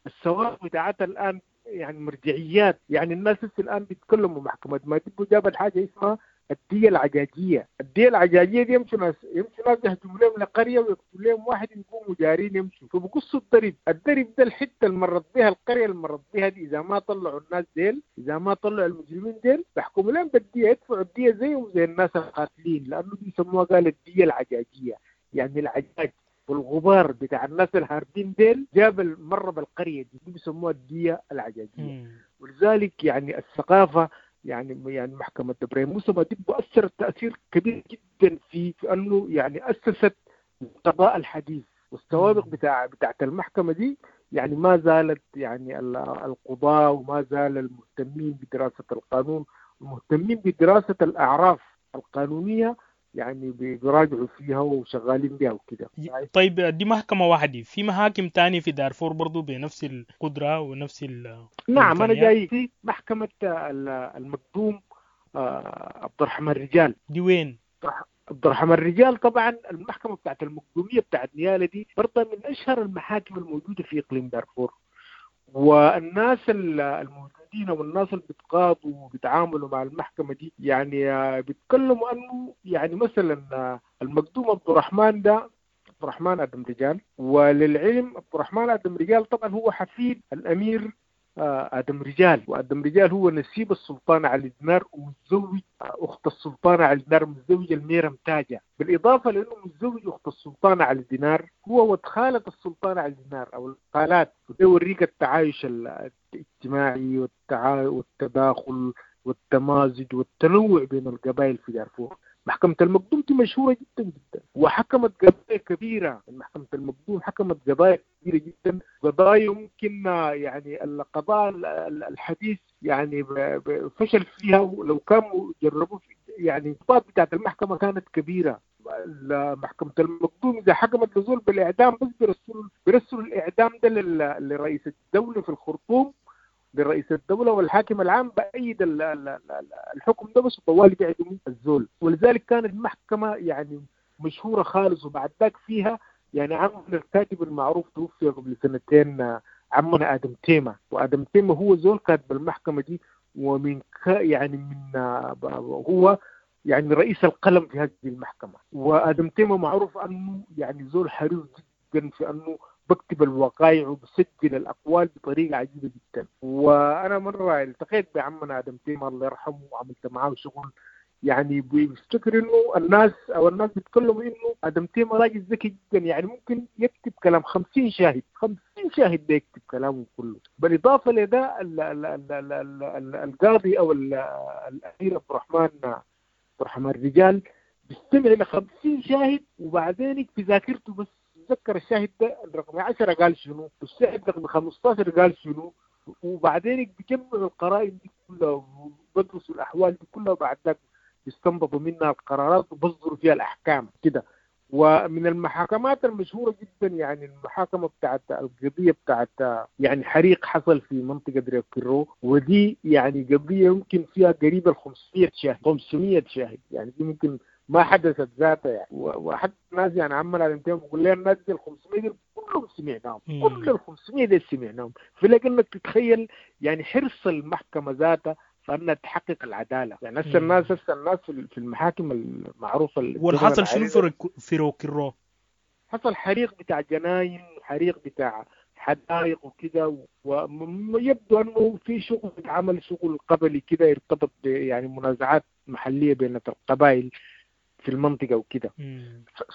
السوابق بتاعتها الآن يعني مرجعيات، يعني الناس الآن بيتكلموا محكمة مادبو جابت حاجة اسمها الدية العجاجية. الدية العجاجية دي يمشوا ناس يهجموا لهم لقرية ويقتلوا لهم واحد يقوموا جارين يمشوا، فبقصوا الدرب، الدرب ده الحتة اللي مرت بها القرية اللي مرت بها دي إذا ما طلعوا الناس ديل، إذا ما طلعوا المجرمين ديل بيحكموا لهم بالدية، يدفعوا الدية زيهم زي الناس القاتلين، لأنه دي يسموها قال الدية العجاجية، يعني العجاج والغبار بتاع الناس الهاربين ديل جاب المرة بالقرية دي بيسموها الدية العجاجية. ولذلك يعني الثقافة يعني محكمة إبراهيم موسى مادبو أثرت تأثير كبير جدا في أنه يعني أسست القضاء الحديث، والسوابق بتاعت المحكمة دي يعني ما زالت يعني القضاة وما زال المهتمين بدراسة القانون المهتمين بدراسة الأعراف القانونية يعني بيراجعوا فيها وشغالين بها وكده.
طيب دي محكمة واحدة، في محاكم تانية في دارفور برضو بنفس القدرة ونفس
نعم أنا جاي في محكمة المقدوم عبد الرحمن الرجال.
دي وين؟
عبد الرحمن الرجال طبعا المحكمة بتاعت المقدومية بتاعت نيالة دي برضه من أشهر المحاكم الموجودة في إقليم دارفور، والناس الموجودين والناس اللي بيتقاضوا وبيتعاملوا مع المحكمة دي يعني بيتكلموا أنه يعني مثلا المقدوم عبد الرحمن ده عبد الرحمن آدم رجال، وللعلم عبد الرحمن آدم رجال طبعا هو حفيد الأمير آدم رجال. وآدم رجال هو نسيب السلطان علي دينار ومتزوج أخت السلطان علي دينار، متزوج الميرم تاجة. بالإضافة لأنه متزوج أخت السلطان علي دينار، هو ود خالة السلطان علي دينار أو الخالات. وده يوريك التعايش الاجتماعي والتداخل والتمازج والتنوع بين القبائل في دارفور. محكمة المقدوم دي مشهورة جدا جدا، وحكمت قضايا كبيرة. محكمة المقدوم حكمت قضايا كبيرة جدا، قضايا يمكن يعني القضاء الحديث يعني فشل فيها، ولو كانوا جربوا يعني الضباط بتاعت المحكمة كانت كبيرة. محكمة المقدوم إذا حكمت لزول بالإعدام بس بيرسلوا الإعدام ده لرئيس الدولة في الخرطوم، لرئيس الدولة والحاكم العام بأيد الحكم ده بس، وطوالي بيعدموا الزول. ولذلك كانت المحكمة يعني مشهورة خالص. وبعد ذاك فيها يعني عمنا الكاتب المعروف توفي قبل سنتين، عمنا آدم تيمة. وآدم تيمة هو زول كاتب المحكمة دي، ومن يعني من هو يعني رئيس القلم في هذه المحكمة. وآدم تيمة معروف أنه يعني زول حريص جدا في أنه بكتب الوقائع وبسجل الأقوال بطريقة عجيبة جدا. وأنا مرة التقيت بعمنا آدم تيمة الله يرحمه، وعملت معاه شغل. يعني بيفتكر إنه الناس أو الناس بيتكلموا إنه آدم تيمة راجل ذكي جدا، يعني ممكن يكتب كلام 50 شاهد، 50 شاهد ده يكتب كلامه كله. بالإضافة لده القاضي أو الأمير عبد الرحمن الرجال بيستمع إلى 50 شاهد، وبعدين في ذاكرته بس تذكر الشاهد ده رقم 10 قال شنو، والشاهد رقم 15 قال شنو، وبعدين بيجمعوا القرائن دي كلها وبدرسوا الأحوال دي كلها، وبعد ذاك بيستنبطوا منها القرارات وبصدروا فيها الأحكام كده. ومن المحاكمات المشهورة جدا يعني المحاكمة بتاعت القضية بتاعت يعني حريق حصل في منطقة دريكرو، ودي يعني قضية يمكن فيها قريب 500 شاهد، 500 شاهد، يعني دي ممكن ما حدثت ذاتها يعني. وحتى الناس يعني عمال على الانتهاء بيقول لها الناس دي 500 دي كلهم سمعناهم، كل ال 500 دي سمعناهم. فلكنك تتخيل يعني حرص المحكمة ذاتها فأنها تحقق العدالة. يعني هسه الناس في المحاكم المعروفة.
والحصل شنو في روكيرو؟
حصل حريق بتاع جناين، حريق بتاع حدائق وكده، ويبدو أنه في شغل اتعمل شغل قبلي كده يرتبط يعني منازعات محلية بين القبائل في المنطقة وكده.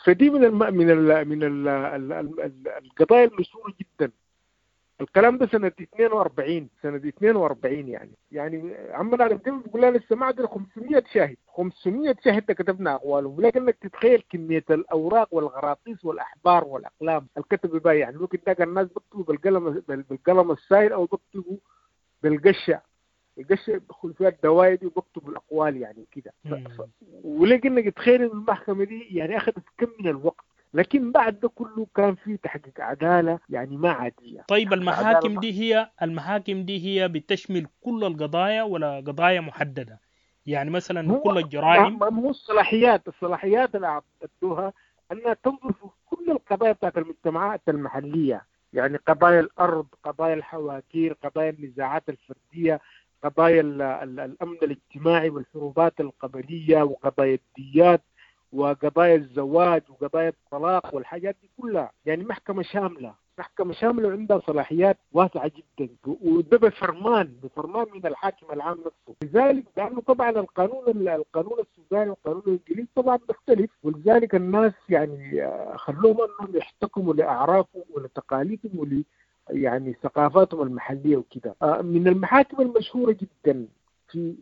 فدي من الم... من ال... من ال... القضايا المشهورة جدا. الكلام ده سنة 42، سنة 42 يعني عمنا على الدم بيقول لنا لسه ما عندنا 500 شاهد، 500 شاهد كتبنا أقوالهم. ولكنك تتخيل كمية الأوراق والغراطيس والأحبار والأقلام الكتب بها. يعني ممكن تلاقي الناس بيكتبوا بالقلم السائل أو بيكتبوا بالقشة، القشة بيدخل فيها الدوايد وبكتبوا الأقوال يعني كده. ولكنك تتخيل المحكمة دي يعني أخذت كم من الوقت، لكن بعد ده كله كان في تحقيق عدالة يعني ما عادية.
طيب المحاكم دي هي بتشمل كل القضايا ولا قضايا محددة؟ يعني مثلا كل الجرائم؟
ما هو الصلاحيات اللي أعطوها أنها تنظر في كل القضايا بتاعت المجتمعات المحلية، يعني قضايا الأرض، قضايا الحواكير، قضايا النزاعات الفردية، قضايا الأمن الاجتماعي والحروبات القبلية، وقضايا الديات، وقضايا الزواج، وقضايا الطلاق، والحاجات دي كلها. يعني محكمة شاملة، محكمة شاملة وعندها صلاحيات واسعة جدا، وده بفرمان من الحاكم العام نفسه. لذلك لأنه طبعا القانون السوداني والقانون الإنجليزي طبعا بيختلف، ولذلك الناس يعني خلوهم أنهم يحتكموا لأعرافهم ولتقاليدهم ول يعني ثقافاتهم المحلية وكده. من المحاكم المشهورة جدا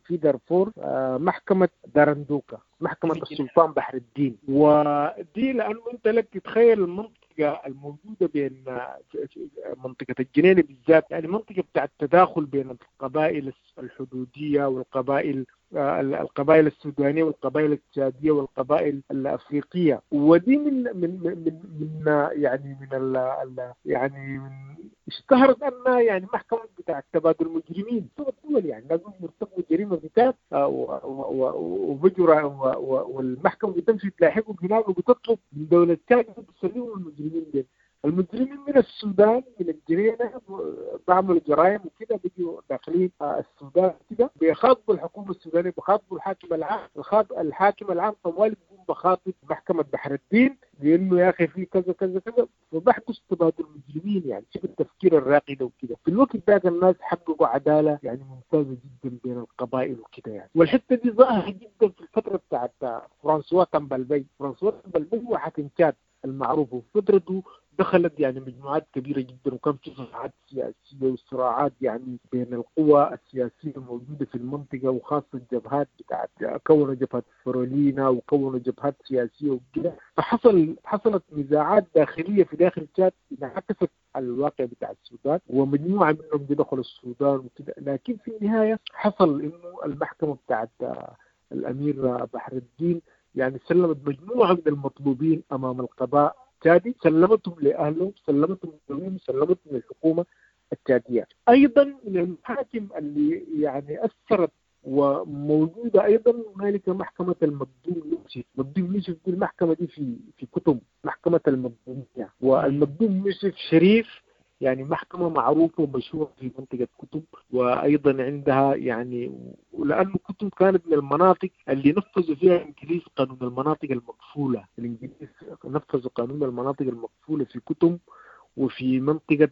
في دارفور محكمة دارندوكا، محكمة السلطان بحر الدين. ودي لأنه أنت لك تتخيل المنطقة الموجودة بين منطقة الجنينة بالذات، يعني منطقة بتاع التداخل بين القبائل الحدودية والقبائل القبائل السودانية والقبائل التشادية والقبائل الأفريقية. ودي من من من من يعني من ال يعني من اشتهرت أنها يعني محكمة بتاع تبادل المجرمين الدول، يعني لازم يرتكبوا جريمة بتاعت وبجرة والمحكمة بتمشي تلاحقهم هناك وبتطلب من دولة تشاد تسلمهم المجرمين دي. المجرمين من السودان من الجنينة بعملوا جرائم وكده، بيجوا داخلين السودان كده، بيخاطبوا الحكومة السودانية، بيخاطبوا الحاكم العام. الحاكم العام طوال بيقوم بخاطب محكمة بحر الدين، لانه يا اخي في كذا كذا كذا، فبحدث تبادل مجرمين. يعني شوف التفكير الراقي ده وكده. في الوقت ذاك الناس حققوا عدالة يعني ممتازة جدا بين القبائل وكده يعني. والحتة دي ظاهره جدا في الفترة بتاعت فرانسوا تامبالبي. فرانسوا تامبالبي هو حاكم تشاد المعروف، وفي فترته دخلت يعني مجموعات كبيرة جدا، وكان في صراعات سياسية وصراعات يعني بين القوى السياسية الموجودة في المنطقة، وخاصة الجبهات بتاعت كونوا جبهة فرولينا وكونوا جبهات سياسية وكده. فحصل نزاعات داخلية في داخل تشاد انعكست على الواقع بتاع السودان، ومجموعة منهم دخلوا السودان وكده. لكن في النهاية حصل إنه المحكمة بتاعت الأمير بحر الدين يعني سلمت مجموعة من المطلوبين أمام القضاء التشادي، سلمتهم لأهلهم، سلمتهم لهم، سلمتهم للحكومة التشادية. أيضا من المحاكم اللي يعني أثرت وموجودة أيضا هنالك محكمة المقدوم يوسف. مقدوم يوسف دي المحكمة دي في كتم، محكمة المقدومية. والمقدوم يوسف شريف يعني محكمة معروفة ومشهورة في منطقة كتم، وأيضا عندها يعني، ولأنه كتم كانت من المناطق اللي نفذوا فيها الإنجليز قانون المناطق المقفولة. الإنجليز نفذوا قانون المناطق المقفولة في كتم وفي منطقة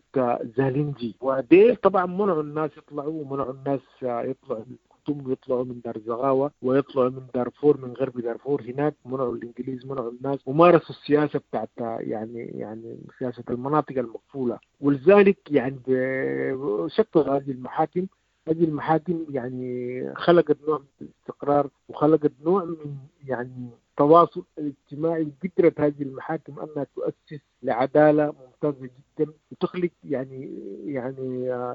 زالنجي، وديل طبعا منعوا الناس يطلعوا، ومنعوا الناس يطلعوا من كتم ويطلعوا من دار زغاوة ويطلعوا من دارفور، من غرب دارفور هناك. منعوا الإنجليز، منعوا الناس، ومارسوا السياسة بتاعت يعني سياسة المناطق المقفولة. ولذلك يعني شكلوا هذه المحاكم. هذه المحاكم يعني خلقت نوع من الاستقرار، وخلقت نوع من يعني التواصل الاجتماعي. قدرت هذه المحاكم أنها تؤسس لعدالة ممتازة جدا، وتخلق يعني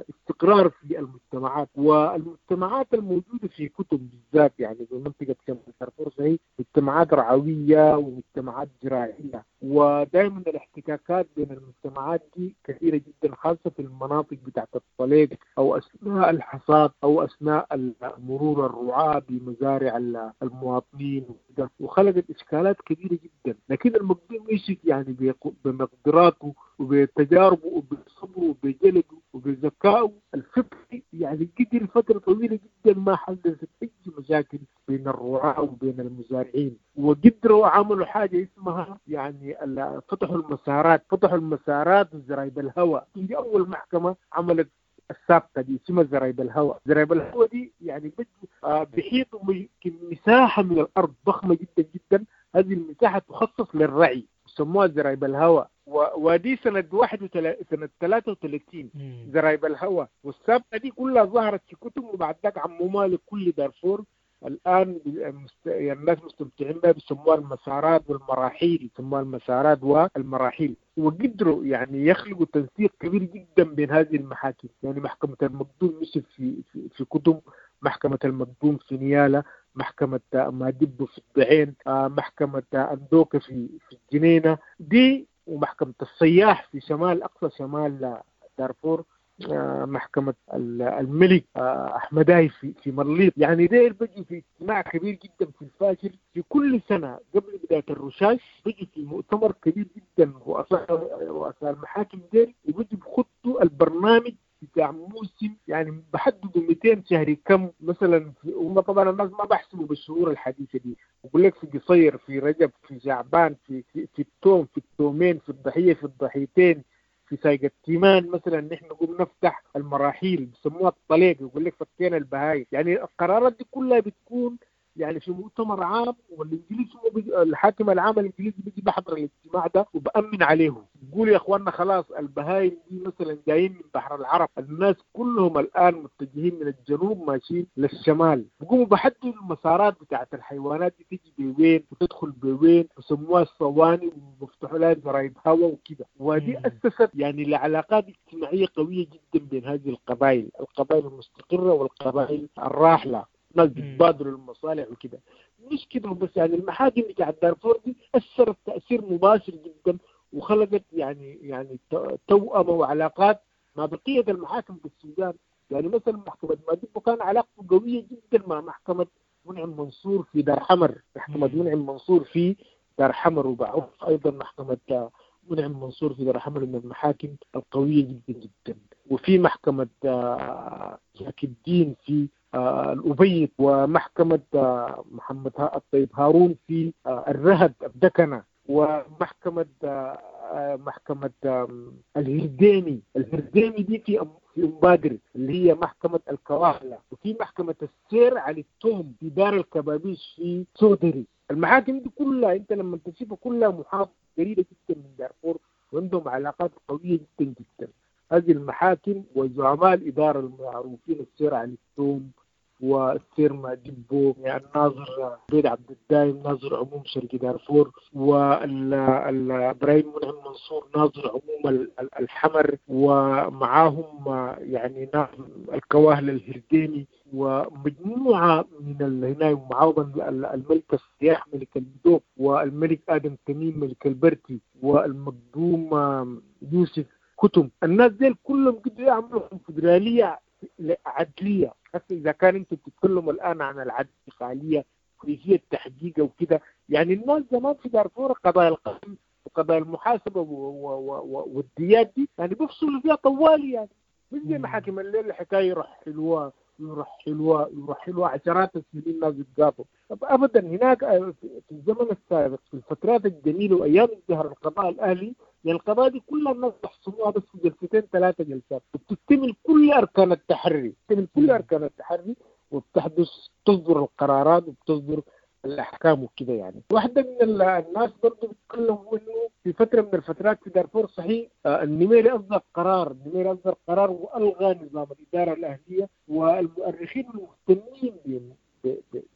استقرار في المجتمعات. والمجتمعات الموجودة في كتم بالذات يعني في منطقة شمال دارفور هي مجتمعات رعوية ومجتمعات زراعية، ودائما الاحتكاكات بين المجتمعات دي كثيرة جدا، خاصة في المناطق بتاعت الطليق أو أثناء الحصاد أو أثناء مرور الرعاة بمزارع المواطنين، وخلقت إشكالات كبيرة جدا. لكن المقدوم يوسف يعني بمقدراته وبتجاربه وبصبره وبجلده وبذكائه الفطري يعني قدر فترة طويلة جدا ما حدثت أي مشاكل بين الرعاة وبين المزارعين، وقدروا عملوا حاجة اسمها يعني فتحوا المسارات، فتحوا المسارات وزرايب الهواء. دي أول محكمة عملت السابقة دي اسمها زرايب الهواء. زرايب الهواء دي يعني بحيطوا مساحة من الأرض ضخمة جدا جدا، هذه المساحة تخصص للرعي، سموها زرايب الهواء. ودي سنة 33 زرايب الهواء. والسابقة دي كلها ظهرت في كتب، وبعد ذاك عمومها لكل دارفور. الآن الناس مستمتعين بها، بيسموها المسارات والمراحيل، يسموها المسارات والمراحيل. وقدروا يعني يخلقوا تنسيق كبير جدا بين هذه المحاكم، يعني محكمة المقدوم يوسف في كتم، محكمة المقدوم في نيالا، محكمة مادبو في الضعين، محكمة أندوكة في الجنينة دي، ومحكمة الصياح في شمال أقصى شمال دارفور، محكمة الملك أحمداي في مليط. يعني دير بيجي في اجتماع كبير جدا في الفاشل في كل سنة قبل بداية الرشاش، بيجي في مؤتمر كبير جدا رؤساء المحاكم دير، وبيجي بخطوا البرنامج بتاع موسم، يعني بحددوا 200 شهر كم مثلا. هم طبعا الناس ما بحسبوا بالشهور الحديثة دي، بقول لك في قصير، في رجب، في شعبان، في في التوم، في التومين، في الضحية، في الضحيتين، في سايق التيمان مثلا نحن نقوم نفتح المراحيل بسموها الطليق، يقول لك فكينا البهايم. يعني القرارات دي كلها بتكون يعني في مؤتمر عام، والانجليز هو الحاكم العام الانجليزي بيجي بحضر الاجتماع ده وبأمن عليهم، بيقول يا اخواننا خلاص البهايم دي مثلا جايين من بحر العرب، الناس كلهم الان متجهين من الجنوب ماشيين للشمال، بيقوموا بحددوا المسارات بتاعت الحيوانات دي تيجي بوين وتدخل بوين، وسموها الصواني وبفتحوا لها زرايب هواء وكده. ودي اسست يعني لعلاقات اجتماعية قوية جدا بين هذه القبائل، القبائل المستقره والقبائل الراحلة، ناس بيتبادلوا المصالح وكده. مش كده بس، يعني المحاكم بتاعت دارفور دي اثرت تاثير مباشر جدا، وخلقت يعني توأمة وعلاقات مع بقية المحاكم في السودان. يعني مثلا محكمة مادبو كان علاقته قوية جدا مع محكمة منعم منصور في دار حمر، محكمة منعم منصور في دار حمر، وبعرف ايضا محكمة منعم منصور في دار حمر من المحاكم القوية جدا جدا. وفي محكمة زكي الدين في الأبيض، ومحكمة محمد الطيب هارون في الرهد الدكنة. ومحكمة محكمة الهرديمي. الهرديمي دي في أم بادر اللي هي محكمة الكواهلة، وفي محكمة السير علي التوم في دار الكبابيش في سودري. المحاكم دي كلها انت لما تشوفها كلها محافظة قريبة جدا من دارفور، وعندهم علاقات قوية جدا جدا. هذه المحاكم وزعماء الإدارة المعروفين السير علي التوم والسير مادبو، يعني الناظر بيد عبد الدايم ناظر عموم شرق دارفور، وإبراهيم منعم منصور ناظر عموم الحمر، ومعاهم يعني ناظر الكواهل الهرديني، ومجموعة من هنا، ومعاهم الملك السياح ملك المدوب، والملك آدم تميم ملك البرتي، والمقدوم يوسف كتم. الناس ديل كلهم قدروا يعملوا كونفدرالية عدلية. حتى إذا كان أنتم بتتكلموا الآن عن العدل الفعالية كيفية تحقيقها وكده، يعني الناس زمان في دارفور قضايا القتل وقضايا المحاسبة والديات دي يعني بيفصلوا فيها طوالي، يعني مش زي محاكم الليل الحكاية يرحلوها يرحلوها يرحلوها عشرات السنين الناس يتقاضوا. أبدا هناك في الزمن السابق في الفترات الجميلة وأيام ازدهار القضاء الأهلي، يعني القضايا دي كلها الناس تحصلوها بس في جلستين ثلاثة جلسات، وبتكتمل كل أركان التحري، بتكتمل كل أركان التحري، وبتحدث تصدر القرارات وبتصدر الأحكام وكده. يعني واحدة من الناس برضو بيتكلموا إنه في فترة من الفترات في دارفور صحيح النميري أصدر قرار، النميري أصدر قرار وألغى نظام الإدارة الأهلية، والمؤرخين المهتمين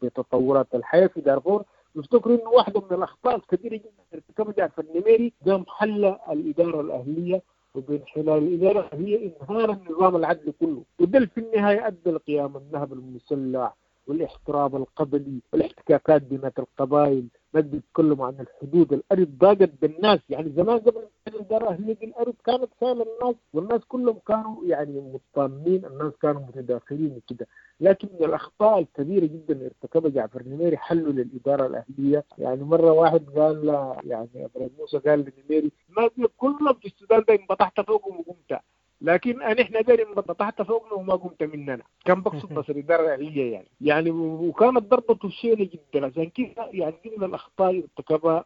بتطورات الحياة في دارفور يفتكروا إنه واحدة من الأخطاء الكبيرة جدا ارتكبها جعفر النميري قام حل الإدارة الأهلية، وبين خلال الإدارة الأهلية انهار النظام العدلي كله، وده في النهاية أدى لقيام النهب المسلح والاحتراب القبلي والاحتكاكات بين القبائل. ما بيتكلموا عن الحدود، الأرض ضاقت بالناس. يعني زمان قبل الإدارة الأهلية الأرض كانت سالة الناس، والناس كلهم كانوا يعني مطمئنين، الناس كانوا متداخلين وكده. لكن من الأخطاء الكبيرة جدا ارتكبها جعفر النميري حله للإدارة الأهلية. يعني مرة واحد قال، يعني إبراهيم موسى قال للنميري ما كلهم في السودان ده انبطحت فوقهم وقمت، لكن احنا داري انبطحت فوقنا وما قمت مننا. كان بقصد بس الإدارة الأهلية يعني وكانت ضربته شينة جدا. عشان كده يعني دي من الأخطاء اللي ارتكبها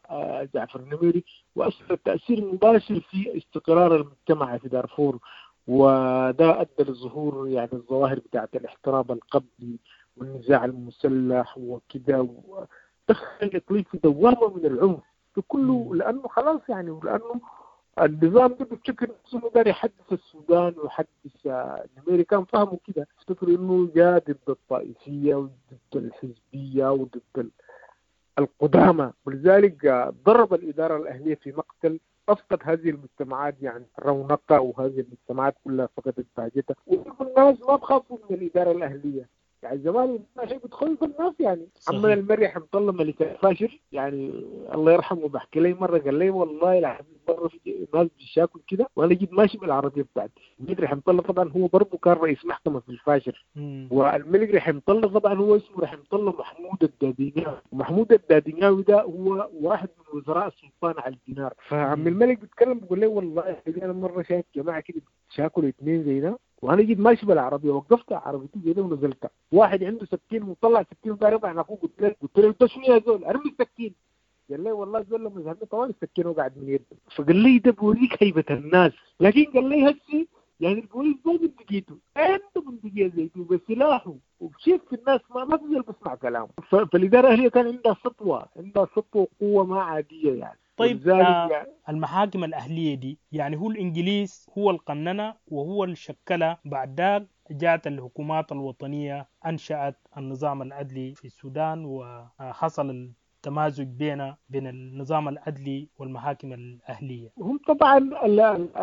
جعفر النميري، وأثر تأثير مباشر في استقرار المجتمع في دارفور، وده أدى لظهور يعني الظواهر بتاعت الاحتراب القبلي والنزاع المسلح وكده، ودخل الإقليم في دوامة من العنف كله، لأنه خلاص يعني، ولأنه النظام ده بيفتكر نفسه داير يحدث السودان ويحدث النميري، كان فهمه كده، افتكروا انه جاء ضد الطائفية وضد الحزبية وضد القدامى، ولذلك ضرب الإدارة الأهلية في مقتل، أفقد هذه المجتمعات يعني رونقها، وهذه المجتمعات كلها فقدت بهجتها، والناس ما بخافوا من الإدارة الأهلية. يعني زمان شيء بتخوف الناس يعني. عمنا المري حمد الله ملك الفاشر يعني الله يرحمه بحكي لي مرة، قال لي والله العظيم مرة في ناس بيشاكل كده وانا جيت ماشي بالعربية بتاعتي. الملك رحمه الله طبعا هو برضه كان رئيس محكمة في الفاشر، والملك رحمه الله طبعا هو اسمه رحمه الله محمود الداديناوي، ومحمود الداديناوي ده هو واحد من وزراء السلطان على الدينار. فعم الملك بيتكلم بيقول لي والله انا مرة شايف جماعة كده بيشاكلوا اثنين زي ده، وانا جيت ماشي بالعربية وقفت عربيتي زي ده ونزلت، واحد عنده سكين وطلع سكين وضرب على اخوه، قلت له انت شنو يا زول ارمي السكين. قال لي والله زول لما زهقني طوال السكين وقعد من يده. فقال لي ده بوريك هيبة الناس، لكن قال لي هسي يعني البوليس ما بندقيته، عنده بندقية زي دي وبسلاحه وبشيف في الناس ما في زول بسمع كلامه. فالاداره الاهلية كان عندها سطوة، عندها سطوة وقوه ما عادية يعني.
طيب المحاكم الأهلية دي يعني هو الإنجليز هو القننة وهو اللي شكلها، بعد ذاك جاءت الحكومات الوطنية أنشأت النظام العدلي في السودان، وحصل التمازج بين النظام العدلي والمحاكم الأهلية.
هم طبعا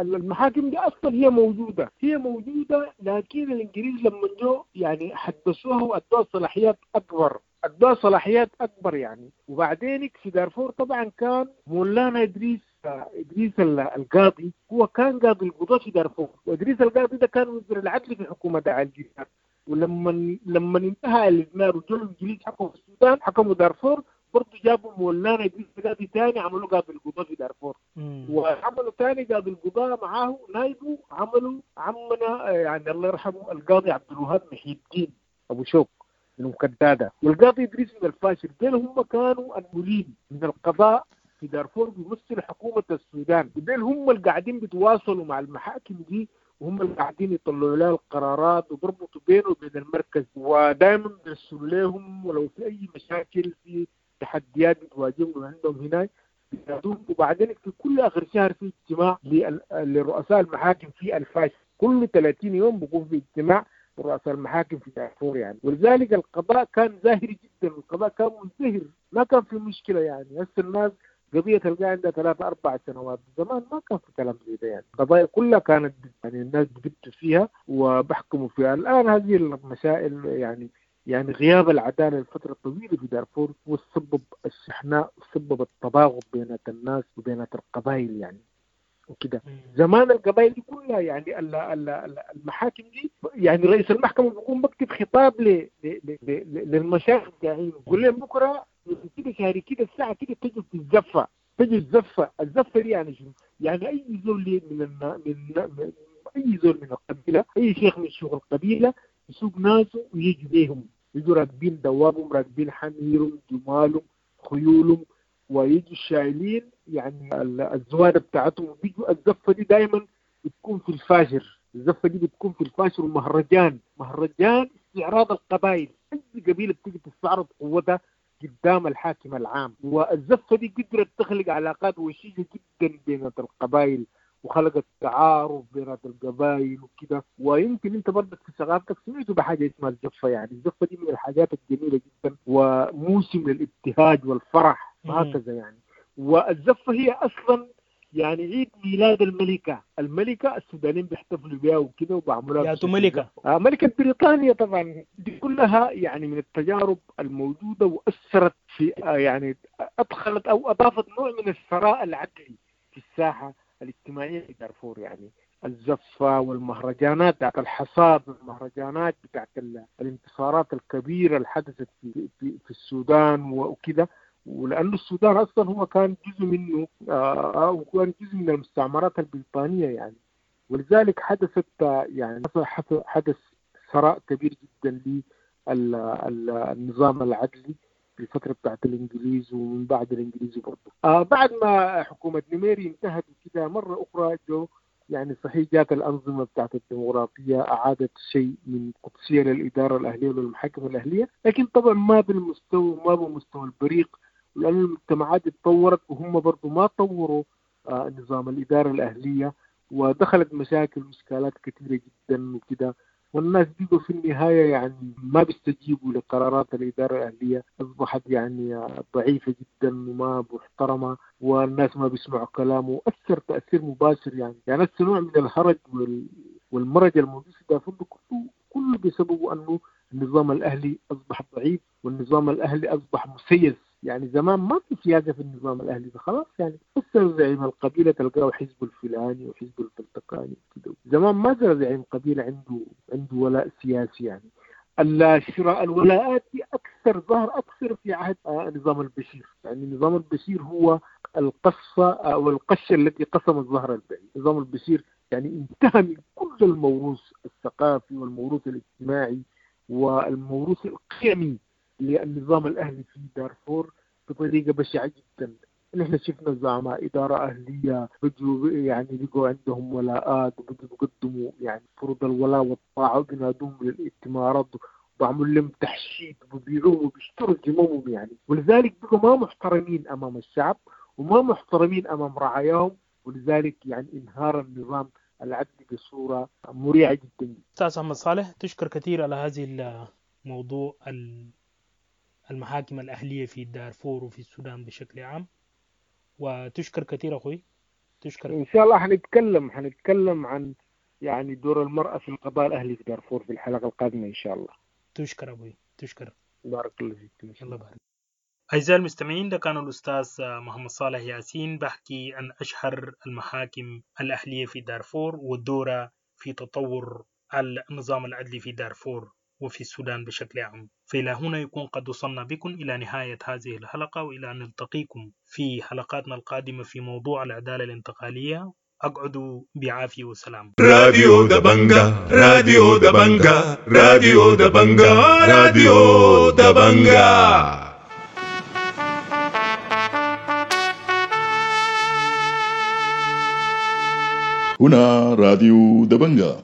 المحاكم دي أصلا هي موجودة، هي موجودة، لكن الإنجليز لما جو يعني حدثوها وأدوها صلاحيات أكبر، أدوها صلاحيات أكبر يعني. وبعدين في دارفور طبعا كان مولانا إدريس القاضي، هو كان قاضي القضاة في دارفور، وإدريس القاضي ده كان وزير العدل في حكومة علي الدينار. ولما انتهى الدينار وجو الإنجليز حكموا السودان، حكموا دارفور، برضه جابوا مولانا إدريس القاضي ثاني عملوا قاضي القضاة في دارفور، وعملوا ثاني قاضي القضاة معاه نايبه، عملوا عمنا يعني الله يرحمه القاضي عبد الوهاب محي الدين أبو شوك المكدادة، والقاضي إدريس من الفاشر. دول هم كانوا المولين من القضاء في دارفور بيمثلوا حكومة السودان، وديل هم اللي قاعدين بيتواصلوا مع المحاكم دي، وهم اللي قاعدين يطلعوا لها القرارات وبربطوا بينه وبين المركز، ودائما بيرسلوا لهم ولو في أي مشاكل في تحديات بتواجههم عندهم هناك بينادوهم. وبعدين في كل آخر شهر في اجتماع لرؤساء المحاكم في الفاشر، كل 30 يوم بيكون في اجتماع رؤساء المحاكم في دارفور يعني. ولذلك القضاء كان زاهر جدا، والقضاء كان مزدهر، ما كان في مشكلة يعني. هسه الناس قضية تلقى عندها 3-4 سنوات، زمان ما كان في كلام زي ده يعني. القضايا كلها كانت يعني الناس بتبت فيها وبحكموا فيها. الآن هذه المسائل يعني غياب العدالة لفترة طويلة في دارفور هو سبب الشحناء وسبب التباغض بين الناس وبين القبائل يعني وكده. زمان القبائل دي كلها يعني المحاكم دي يعني رئيس المحكمة بيقوم بكتب خطاب للمشايخ بتاعين، يقول لهم بكرة كده شهري كده الساعة كده تجي في الزفة، تجي الزفة. الزفة دي يعني شنو؟ يعني أي زول من أي زول من القبيلة، أي شيخ من شيوخ القبيلة يسوق ناسه ويجي بيهم، يجوا راكبين دوابهم، راكبين حميرهم، جمالهم، خيولهم، ويجوا شايلين يعني الزوادة بتاعتهم، وبيجوا الزفة دي دايما بتكون في الفاجر، الزفة دي بتكون في الفاشر، ومهرجان، مهرجان استعراض القبائل، أي قبيلة بتيجي تستعرض قوتها قدام الحاكم العام. والزفة دي قدرت تخلق علاقات وشيجة جدا بين القبائل، وخلقت تعارف بين القبائل وكده. ويمكن انت برضك في ثقافتك سمعتوا بحاجة اسمها الزفه، يعني الزفه دي من الحاجات الجميلة جدا وموسم للابتهاج والفرح وهكذا يعني. والزفه هي اصلا يعني عيد ميلاد الملكة، الملكة السودانيين بيحتفلوا بها وكده وبيعملوها.
يا ملكه،
ملكه بريطانيا طبعا. دي كلها يعني من التجارب الموجودة واثرت في يعني ادخلت او اضافت نوع من الثراء العدلي في الساحة الاجتماعية في دارفور يعني. الزفة والمهرجانات بتاعت الحصاد والمهرجانات بتاعت الانتصارات الكبيرة اللي حدثت في, في, في السودان وكده. ولأنه السودان أصلا هو كان جزء منه وكان جزء من المستعمرات البريطانية يعني، ولذلك حدثت يعني حدث ثراء كبير جدا للنظام العدلي في الفترة بتاعت الإنجليز ومن بعد الإنجليز برضه. بعد ما حكومة نميري انتهت وكده، مرة أخرى جو يعني صحيح جات الأنظمة بتاعت الديمقراطية أعادت شيء من قدسية للإدارة الأهلية وللمحاكم الأهلية، لكن طبعا ما بالمستوى، ما بمستوى البريق، لأن المجتمعات اتطورت وهم برضو ما طوروا نظام الإدارة الأهلية، ودخلت مشاكل وإشكالات كثيرة جدا وكده. والناس بيجوا في النهاية يعني ما بيستجيبوا لقرارات الإدارة الأهلية، أصبحت يعني ضعيفة جدا وما محترمة، والناس ما بيسمعوا كلامه. أثر تأثير مباشر يعني نفس نوع من الهرج والمرج الموجود في دارفور كله بسببه أنه النظام الأهلي أصبح ضعيف، والنظام الأهلي أصبح مسيس. يعني زمان ما في سياسة في النظام الأهلي ده خلاص، يعني بس زعيم القبيلة تلقاه حزب الفلاني وحزب الفلتقاني كده. زمان ما زال زعيم قبيلة عنده ولاء سياسي يعني. شراء الولاءات دي أكثر ظهر أكثر في عهد نظام البشير. يعني نظام البشير هو القصة أو القشة التي قسمت ظهر البعير. نظام البشير يعني انتهى من كل الموروث الثقافي والموروث الاجتماعي والموروث القيمي للنظام الأهلي في دارفور بطريقة بشعة جدا. نحن شفنا زعماء إدارة أهلية بدوا يعني بقوا عندهم ولاءات وبدوا بيقدموا يعني فرض الولاء والطاعة وبينادوهم للائتمارات وبعملوا لهم تحشيد وبيبيعوهم وبيشتروا ذممهم يعني، ولذلك بقوا ما محترمين أمام الشعب وما محترمين أمام رعاياهم، ولذلك يعني انهار النظام العدلي بصورة مريعة جدا.
أستاذ أحمد صالح، تشكر كثير على هذه الموضوع المحاكم الأهلية في دارفور وفي السودان بشكل عام، وتشكر كثير أخوي. تشكر.
إن شاء الله حنتكلم عن يعني دور المرأة في القضاء الأهلي في دارفور في الحلقة القادمة إن شاء الله.
تشكر أبوي، تشكر.
بارك الله فيك.
الله بارك. أعزائي المستمعين، ده كان الأستاذ محمد صالح ياسين بحكي عن أشهر المحاكم الأهلية في دارفور ودورها في تطور النظام العدلي في دارفور وفي السودان بشكل عام. فإلى هنا يكون قد وصلنا بكم إلى نهاية هذه الحلقة، وإلى أن نلتقيكم في حلقاتنا القادمة في موضوع العدالة الانتقالية. أقعدوا بعافية وسلام.
راديو دبنجا، راديو دبنجا، راديو دبنجا، راديو دبنجا. هنا راديو دبنجا.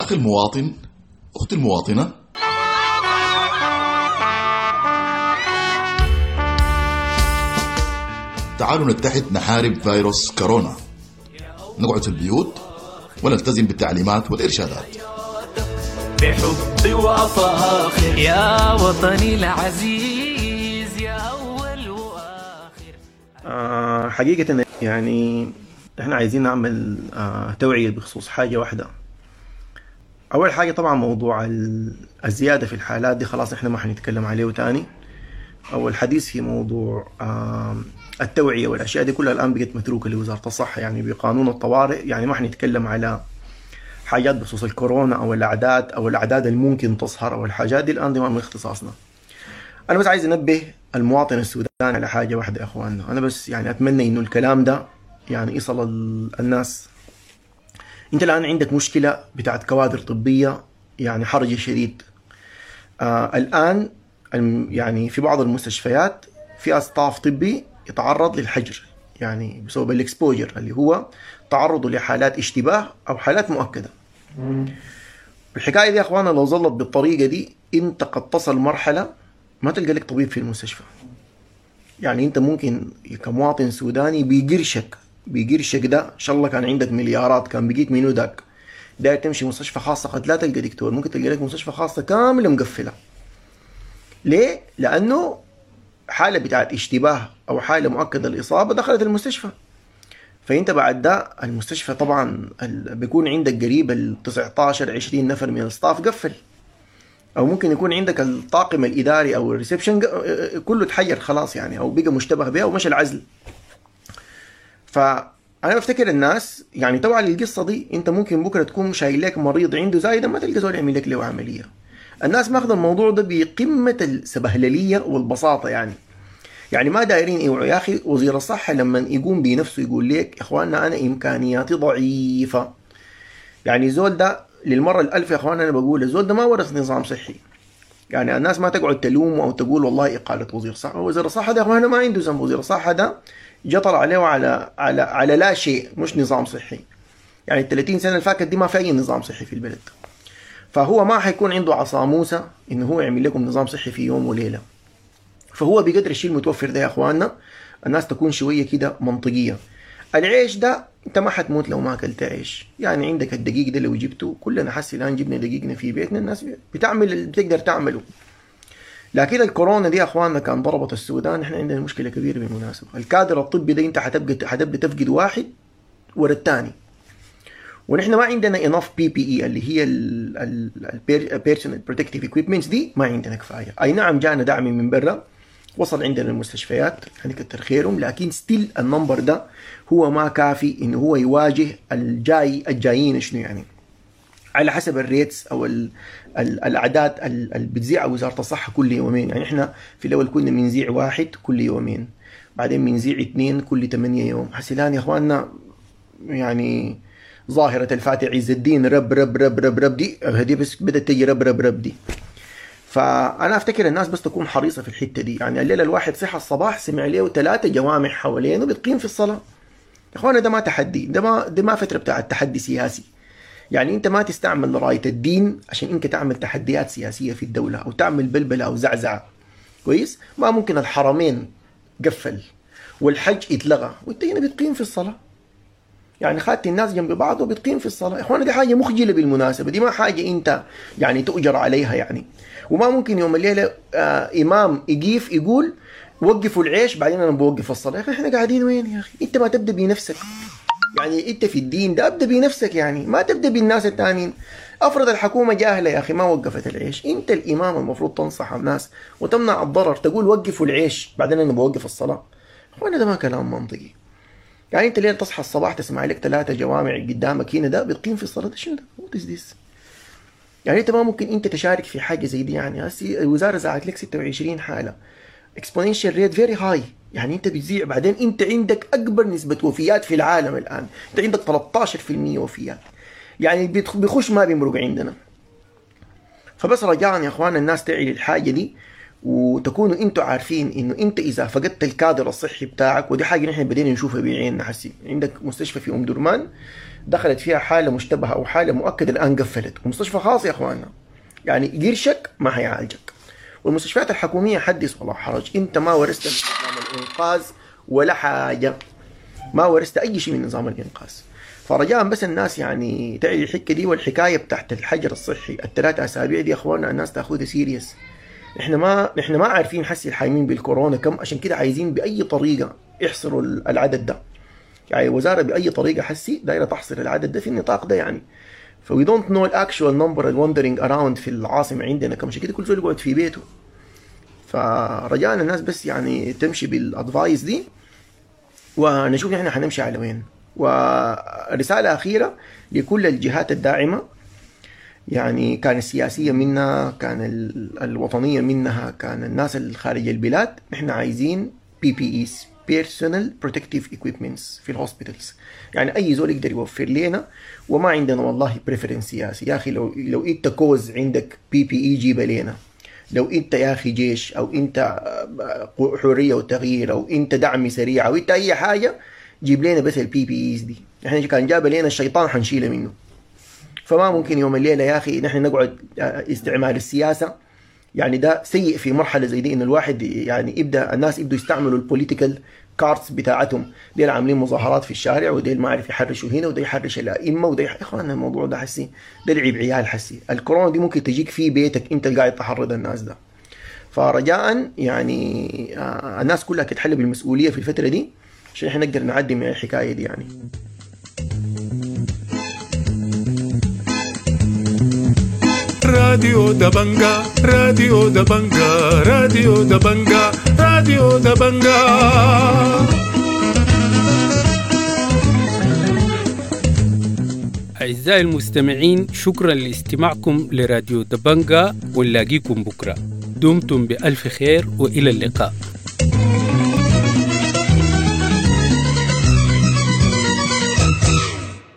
أخي المواطن، أختي المواطنة، تعالوا نتحد نحارب فيروس كورونا. نقعد في البيوت ونلتزم بالتعليمات والإرشادات.
بحبي وأفاخر يا وطني العزيز يا أول وآخر.
حقيقة يعني احنا عايزين نعمل توعية بخصوص حاجة واحدة. أول حاجة طبعا موضوع الزيادة في الحالات دي خلاص احنا ما حنتكلم عليه تاني، أو الحديث في موضوع التوعية والأشياء دي كلها الآن بقت متروكة لوزارة الصحة، يعني بقانون الطوارئ. يعني ما حنتكلم على حاجات بخصوص الكورونا أو الأعداد أو الأعداد الممكن تظهر أو الحاجات دي الآن دي ما من اختصاصنا. أنا بس عايز أنبه المواطن السوداني على حاجة واحدة يا أخواننا. أنا بس يعني أتمنى إنه الكلام ده يعني يصل الناس. أنت الآن عندك مشكلة بتاعت كوادر طبية يعني حرج شديد. الآن يعني في بعض المستشفيات في staff طبي يتعرض للحجر، يعني بسبب ال exposure اللي هو تعرضه لحالات اشتباه او حالات مؤكدة. الحكاية دي يا اخوانا لو ظلت بالطريقة دي انت قد تصل مرحلة ما تلقى لك طبيب في المستشفى. يعني انت ممكن كمواطن سوداني بيقرشك ده ان شاء الله كان عندك مليارات كان بقيت منو داك داير تمشي مستشفى خاصة قد لا تلقى دكتور، ممكن تلقى لك مستشفى خاصة كاملة مقفلة. ليه؟ لانه حالة بتاعت اشتباه أو حالة مؤكدة الإصابة دخلت المستشفى. فأنت بعد ده المستشفى طبعا بيكون عندك قريب ال 19 20 نفر من ال staff قفل، أو ممكن يكون عندك الطاقم الإداري أو ال reception كله تحير خلاص يعني، أو بقى مشتبه به ومشى العزل. فأنا بفتكر الناس يعني توعى للقصة دي. أنت ممكن بكرة تكون شايل لك مريض عنده زايدة ما تلقى زول يعمل لك له عملية. الناس ماخذ الموضوع ده بقمة السبهللية والبساطة، يعني ما دايرين يوعوا. يا أخي وزير الصحة لما يقوم بنفسه يقول لك يا إخواننا أنا إمكانياتي ضعيفة. يعني زول ده للمرة الألف يا إخواننا أنا بقول الزول ده ما ورث نظام صحي. يعني الناس ما تقعد تلومه أو تقول والله إقالة وزير الصحة. وزير الصحة ده يا إخواننا ما عنده ذنب. وزير الصحة ده جطر عليه على على على لا شيء، مش نظام صحي. يعني ال 30 سنة اللي فاتت دي ما في أي نظام صحي في البلد. فهو ما حيكون عنده عصا موسى إنه هو يعمل لكم نظام صحي في يوم وليلة. فهو بقدر الشيء المتوفر ده يا اخواننا الناس تكون شوية كده منطقية. العيش ده انت ما حتموت لو ما اكلت عيش، يعني عندك الدقيق ده لو جبته كلنا حسي الان جبنا دقيقنا في بيتنا، الناس بتعمل اللي بتقدر تعمله. لكن الكورونا دي يا اخواننا كان ضربت السودان، احنا عندنا مشكلة كبيرة بالمناسبة. الكادر الطبي ده انت حتبقى تفقد واحد ورا الثاني، ونحن ما عندنا enough PPE اللي هي ال personal protective equipments دي، ما عندنا كفاية. اي نعم جانا دعم من برا وصل عندنا المستشفيات يعني كتر خيرهم، لكن still ال number ده هو ما كافي انه هو يواجه الجايين شنو يعني على حسب ال rates او الاعداد اللي بتذيعها وزارة الصحة كل يومين. يعني احنا في الاول كنا بنذيع واحد كل يومين، بعدين بنذيع اثنين كل 8 يوم. هسه الان يا اخواننا يعني ظاهرة الفاتح عز الدين رب رب رب رب رب دي هدي بس بدأت تجي رب رب رب دي. فأنا أفتكر الناس بس تكون حريصة في الحتة دي. يعني الليلة الواحد صحى الصباح سمع له 3 جوامع حوالينه بتقيم في الصلاة. يا إخوانا ده ما تحدي، ده ما فترة بتاع التحدي سياسي. يعني أنت ما تستعمل راية الدين عشان أنت تعمل تحديات سياسية في الدولة أو تعمل بلبلة أو زعزعة. كويس؟ ما ممكن الحرمين قفل والحج اتلغى وأنت هنا بتقيم في الصلاة. يعني خدت الناس جنب بعض وبتقيم في الصلاة. يا اخوانا دي حاجة مخجلة بالمناسبة، دي ما حاجة انت يعني تؤجر عليها يعني. وما ممكن يوم الليلة امام يقيف يقول وقفوا العيش بعدين انا بوقف الصلاة. يا اخي احنا قاعدين وين يا اخي؟ انت ما تبدا بنفسك. يعني انت في الدين ده ابدا بنفسك، يعني ما تبدا بالناس الثانيين. افرض الحكومة جاهلة يا اخي ما وقفت العيش، انت الامام المفروض تنصح الناس وتمنع الضرر، تقول وقفوا العيش بعدين انا بوقف الصلاة. اخوانا ده ما كلام منطقي. يعني انت ليه تصحى الصباح تسمع لك 3 جوامع قدامك هنا ده بتقيم في الصلاة، ده شنو ده؟ what is this؟ يعني انت ما ممكن انت تشارك في حاجة زي دي. يعني هسي الوزارة زعت لك 26 حاله، exponential rate very high، يعني انت بتذيع. بعدين انت عندك اكبر نسبه وفيات في العالم الان، انت عندك 13% وفيات، يعني بيخش ما بيمرق عندنا. فبس رجاء يا اخوان الناس تعي للحاجة دي وتكونوا انتوا عارفين انه انت اذا فقدت الكادر الصحي بتاعك، ودي حاجة نحن بدينا نشوفها بعيننا حسي. عندك مستشفى في ام درمان دخلت فيها حاله مشتبهة او حاله مؤكدة، الان قفلت، ومستشفى خاص يا اخواننا، يعني قرشك ما حيعالجك. والمستشفيات الحكومية حدث ولا حرج، انت ما ورثت من نظام الانقاذ ولا حاجة، ما ورثت اي شيء من نظام الانقاذ. فرجاء بس الناس يعني تعي الحكة دي، والحكاية بتاعت الحجر الصحي الثلاث اسابيع دي يا اخواننا الناس تاخذها serious. احنا ما عارفين حسي الحايمين بالكورونا كم، عشان كده عايزين باي طريقه يحصروا العدد ده. يعني الوزارة باي طريقه حسي دايرة تحصر العدد ده في النطاق ده يعني. ف we don't know ال actual number wandering around في العاصمة عندنا كم، عشان كده كل زول يقعد في بيته. فرجاء الناس بس يعني تمشي بال advice دي، ونشوف نحن حنمشي على وين. ورسالة اخيرة لكل الجهات الداعمة، يعني كان السياسية منها، كان الوطنية منها، كان الناس الخارج البلاد، نحن عايزين PPEs، personal protective equipments في ال hospitals. يعني اي زول يقدر يوفر لنا، وما عندنا والله preference سياسي يا اخي. لو انت كوز عندك PPE جيبه لنا، لو انت يا اخي جيش او انت حرية وتغيير او انت دعم سريع او انت اي حاجة، جيب لنا بس ال PPEs دي. احنا كان جاب لنا الشيطان حنشيله منه. فما ممكن يوم الليلة يا اخي نحن نقعد استعمال السياسة، يعني ده سيء في مرحلة زي دي، انه الواحد يعني يبدا الناس يبدوا يستعملوا ال political cards بتاعتهم، ديل عاملين مظاهرات في الشارع، وديل ما عارف يحرشوا هنا، وده يحرش الائمة، وده يا اخوان الموضوع ده حسي ده لعب عيال حسي. الكورونا دي ممكن تجيك في بيتك انت اللي قاعد تحرض الناس ده. فرجاء يعني الناس كلها تتحلى بالمسؤولية في الفترة دي عشان احنا نقدر نعدي من الحكاية دي يعني.
راديو دبنجا، راديو دبنجا، راديو دبنجا، راديو دبنجا.
أعزائي المستمعين، شكرا لاستماعكم لراديو دبنجا، ونلاقيكم بكرة. دمتم بألف خير وإلى اللقاء.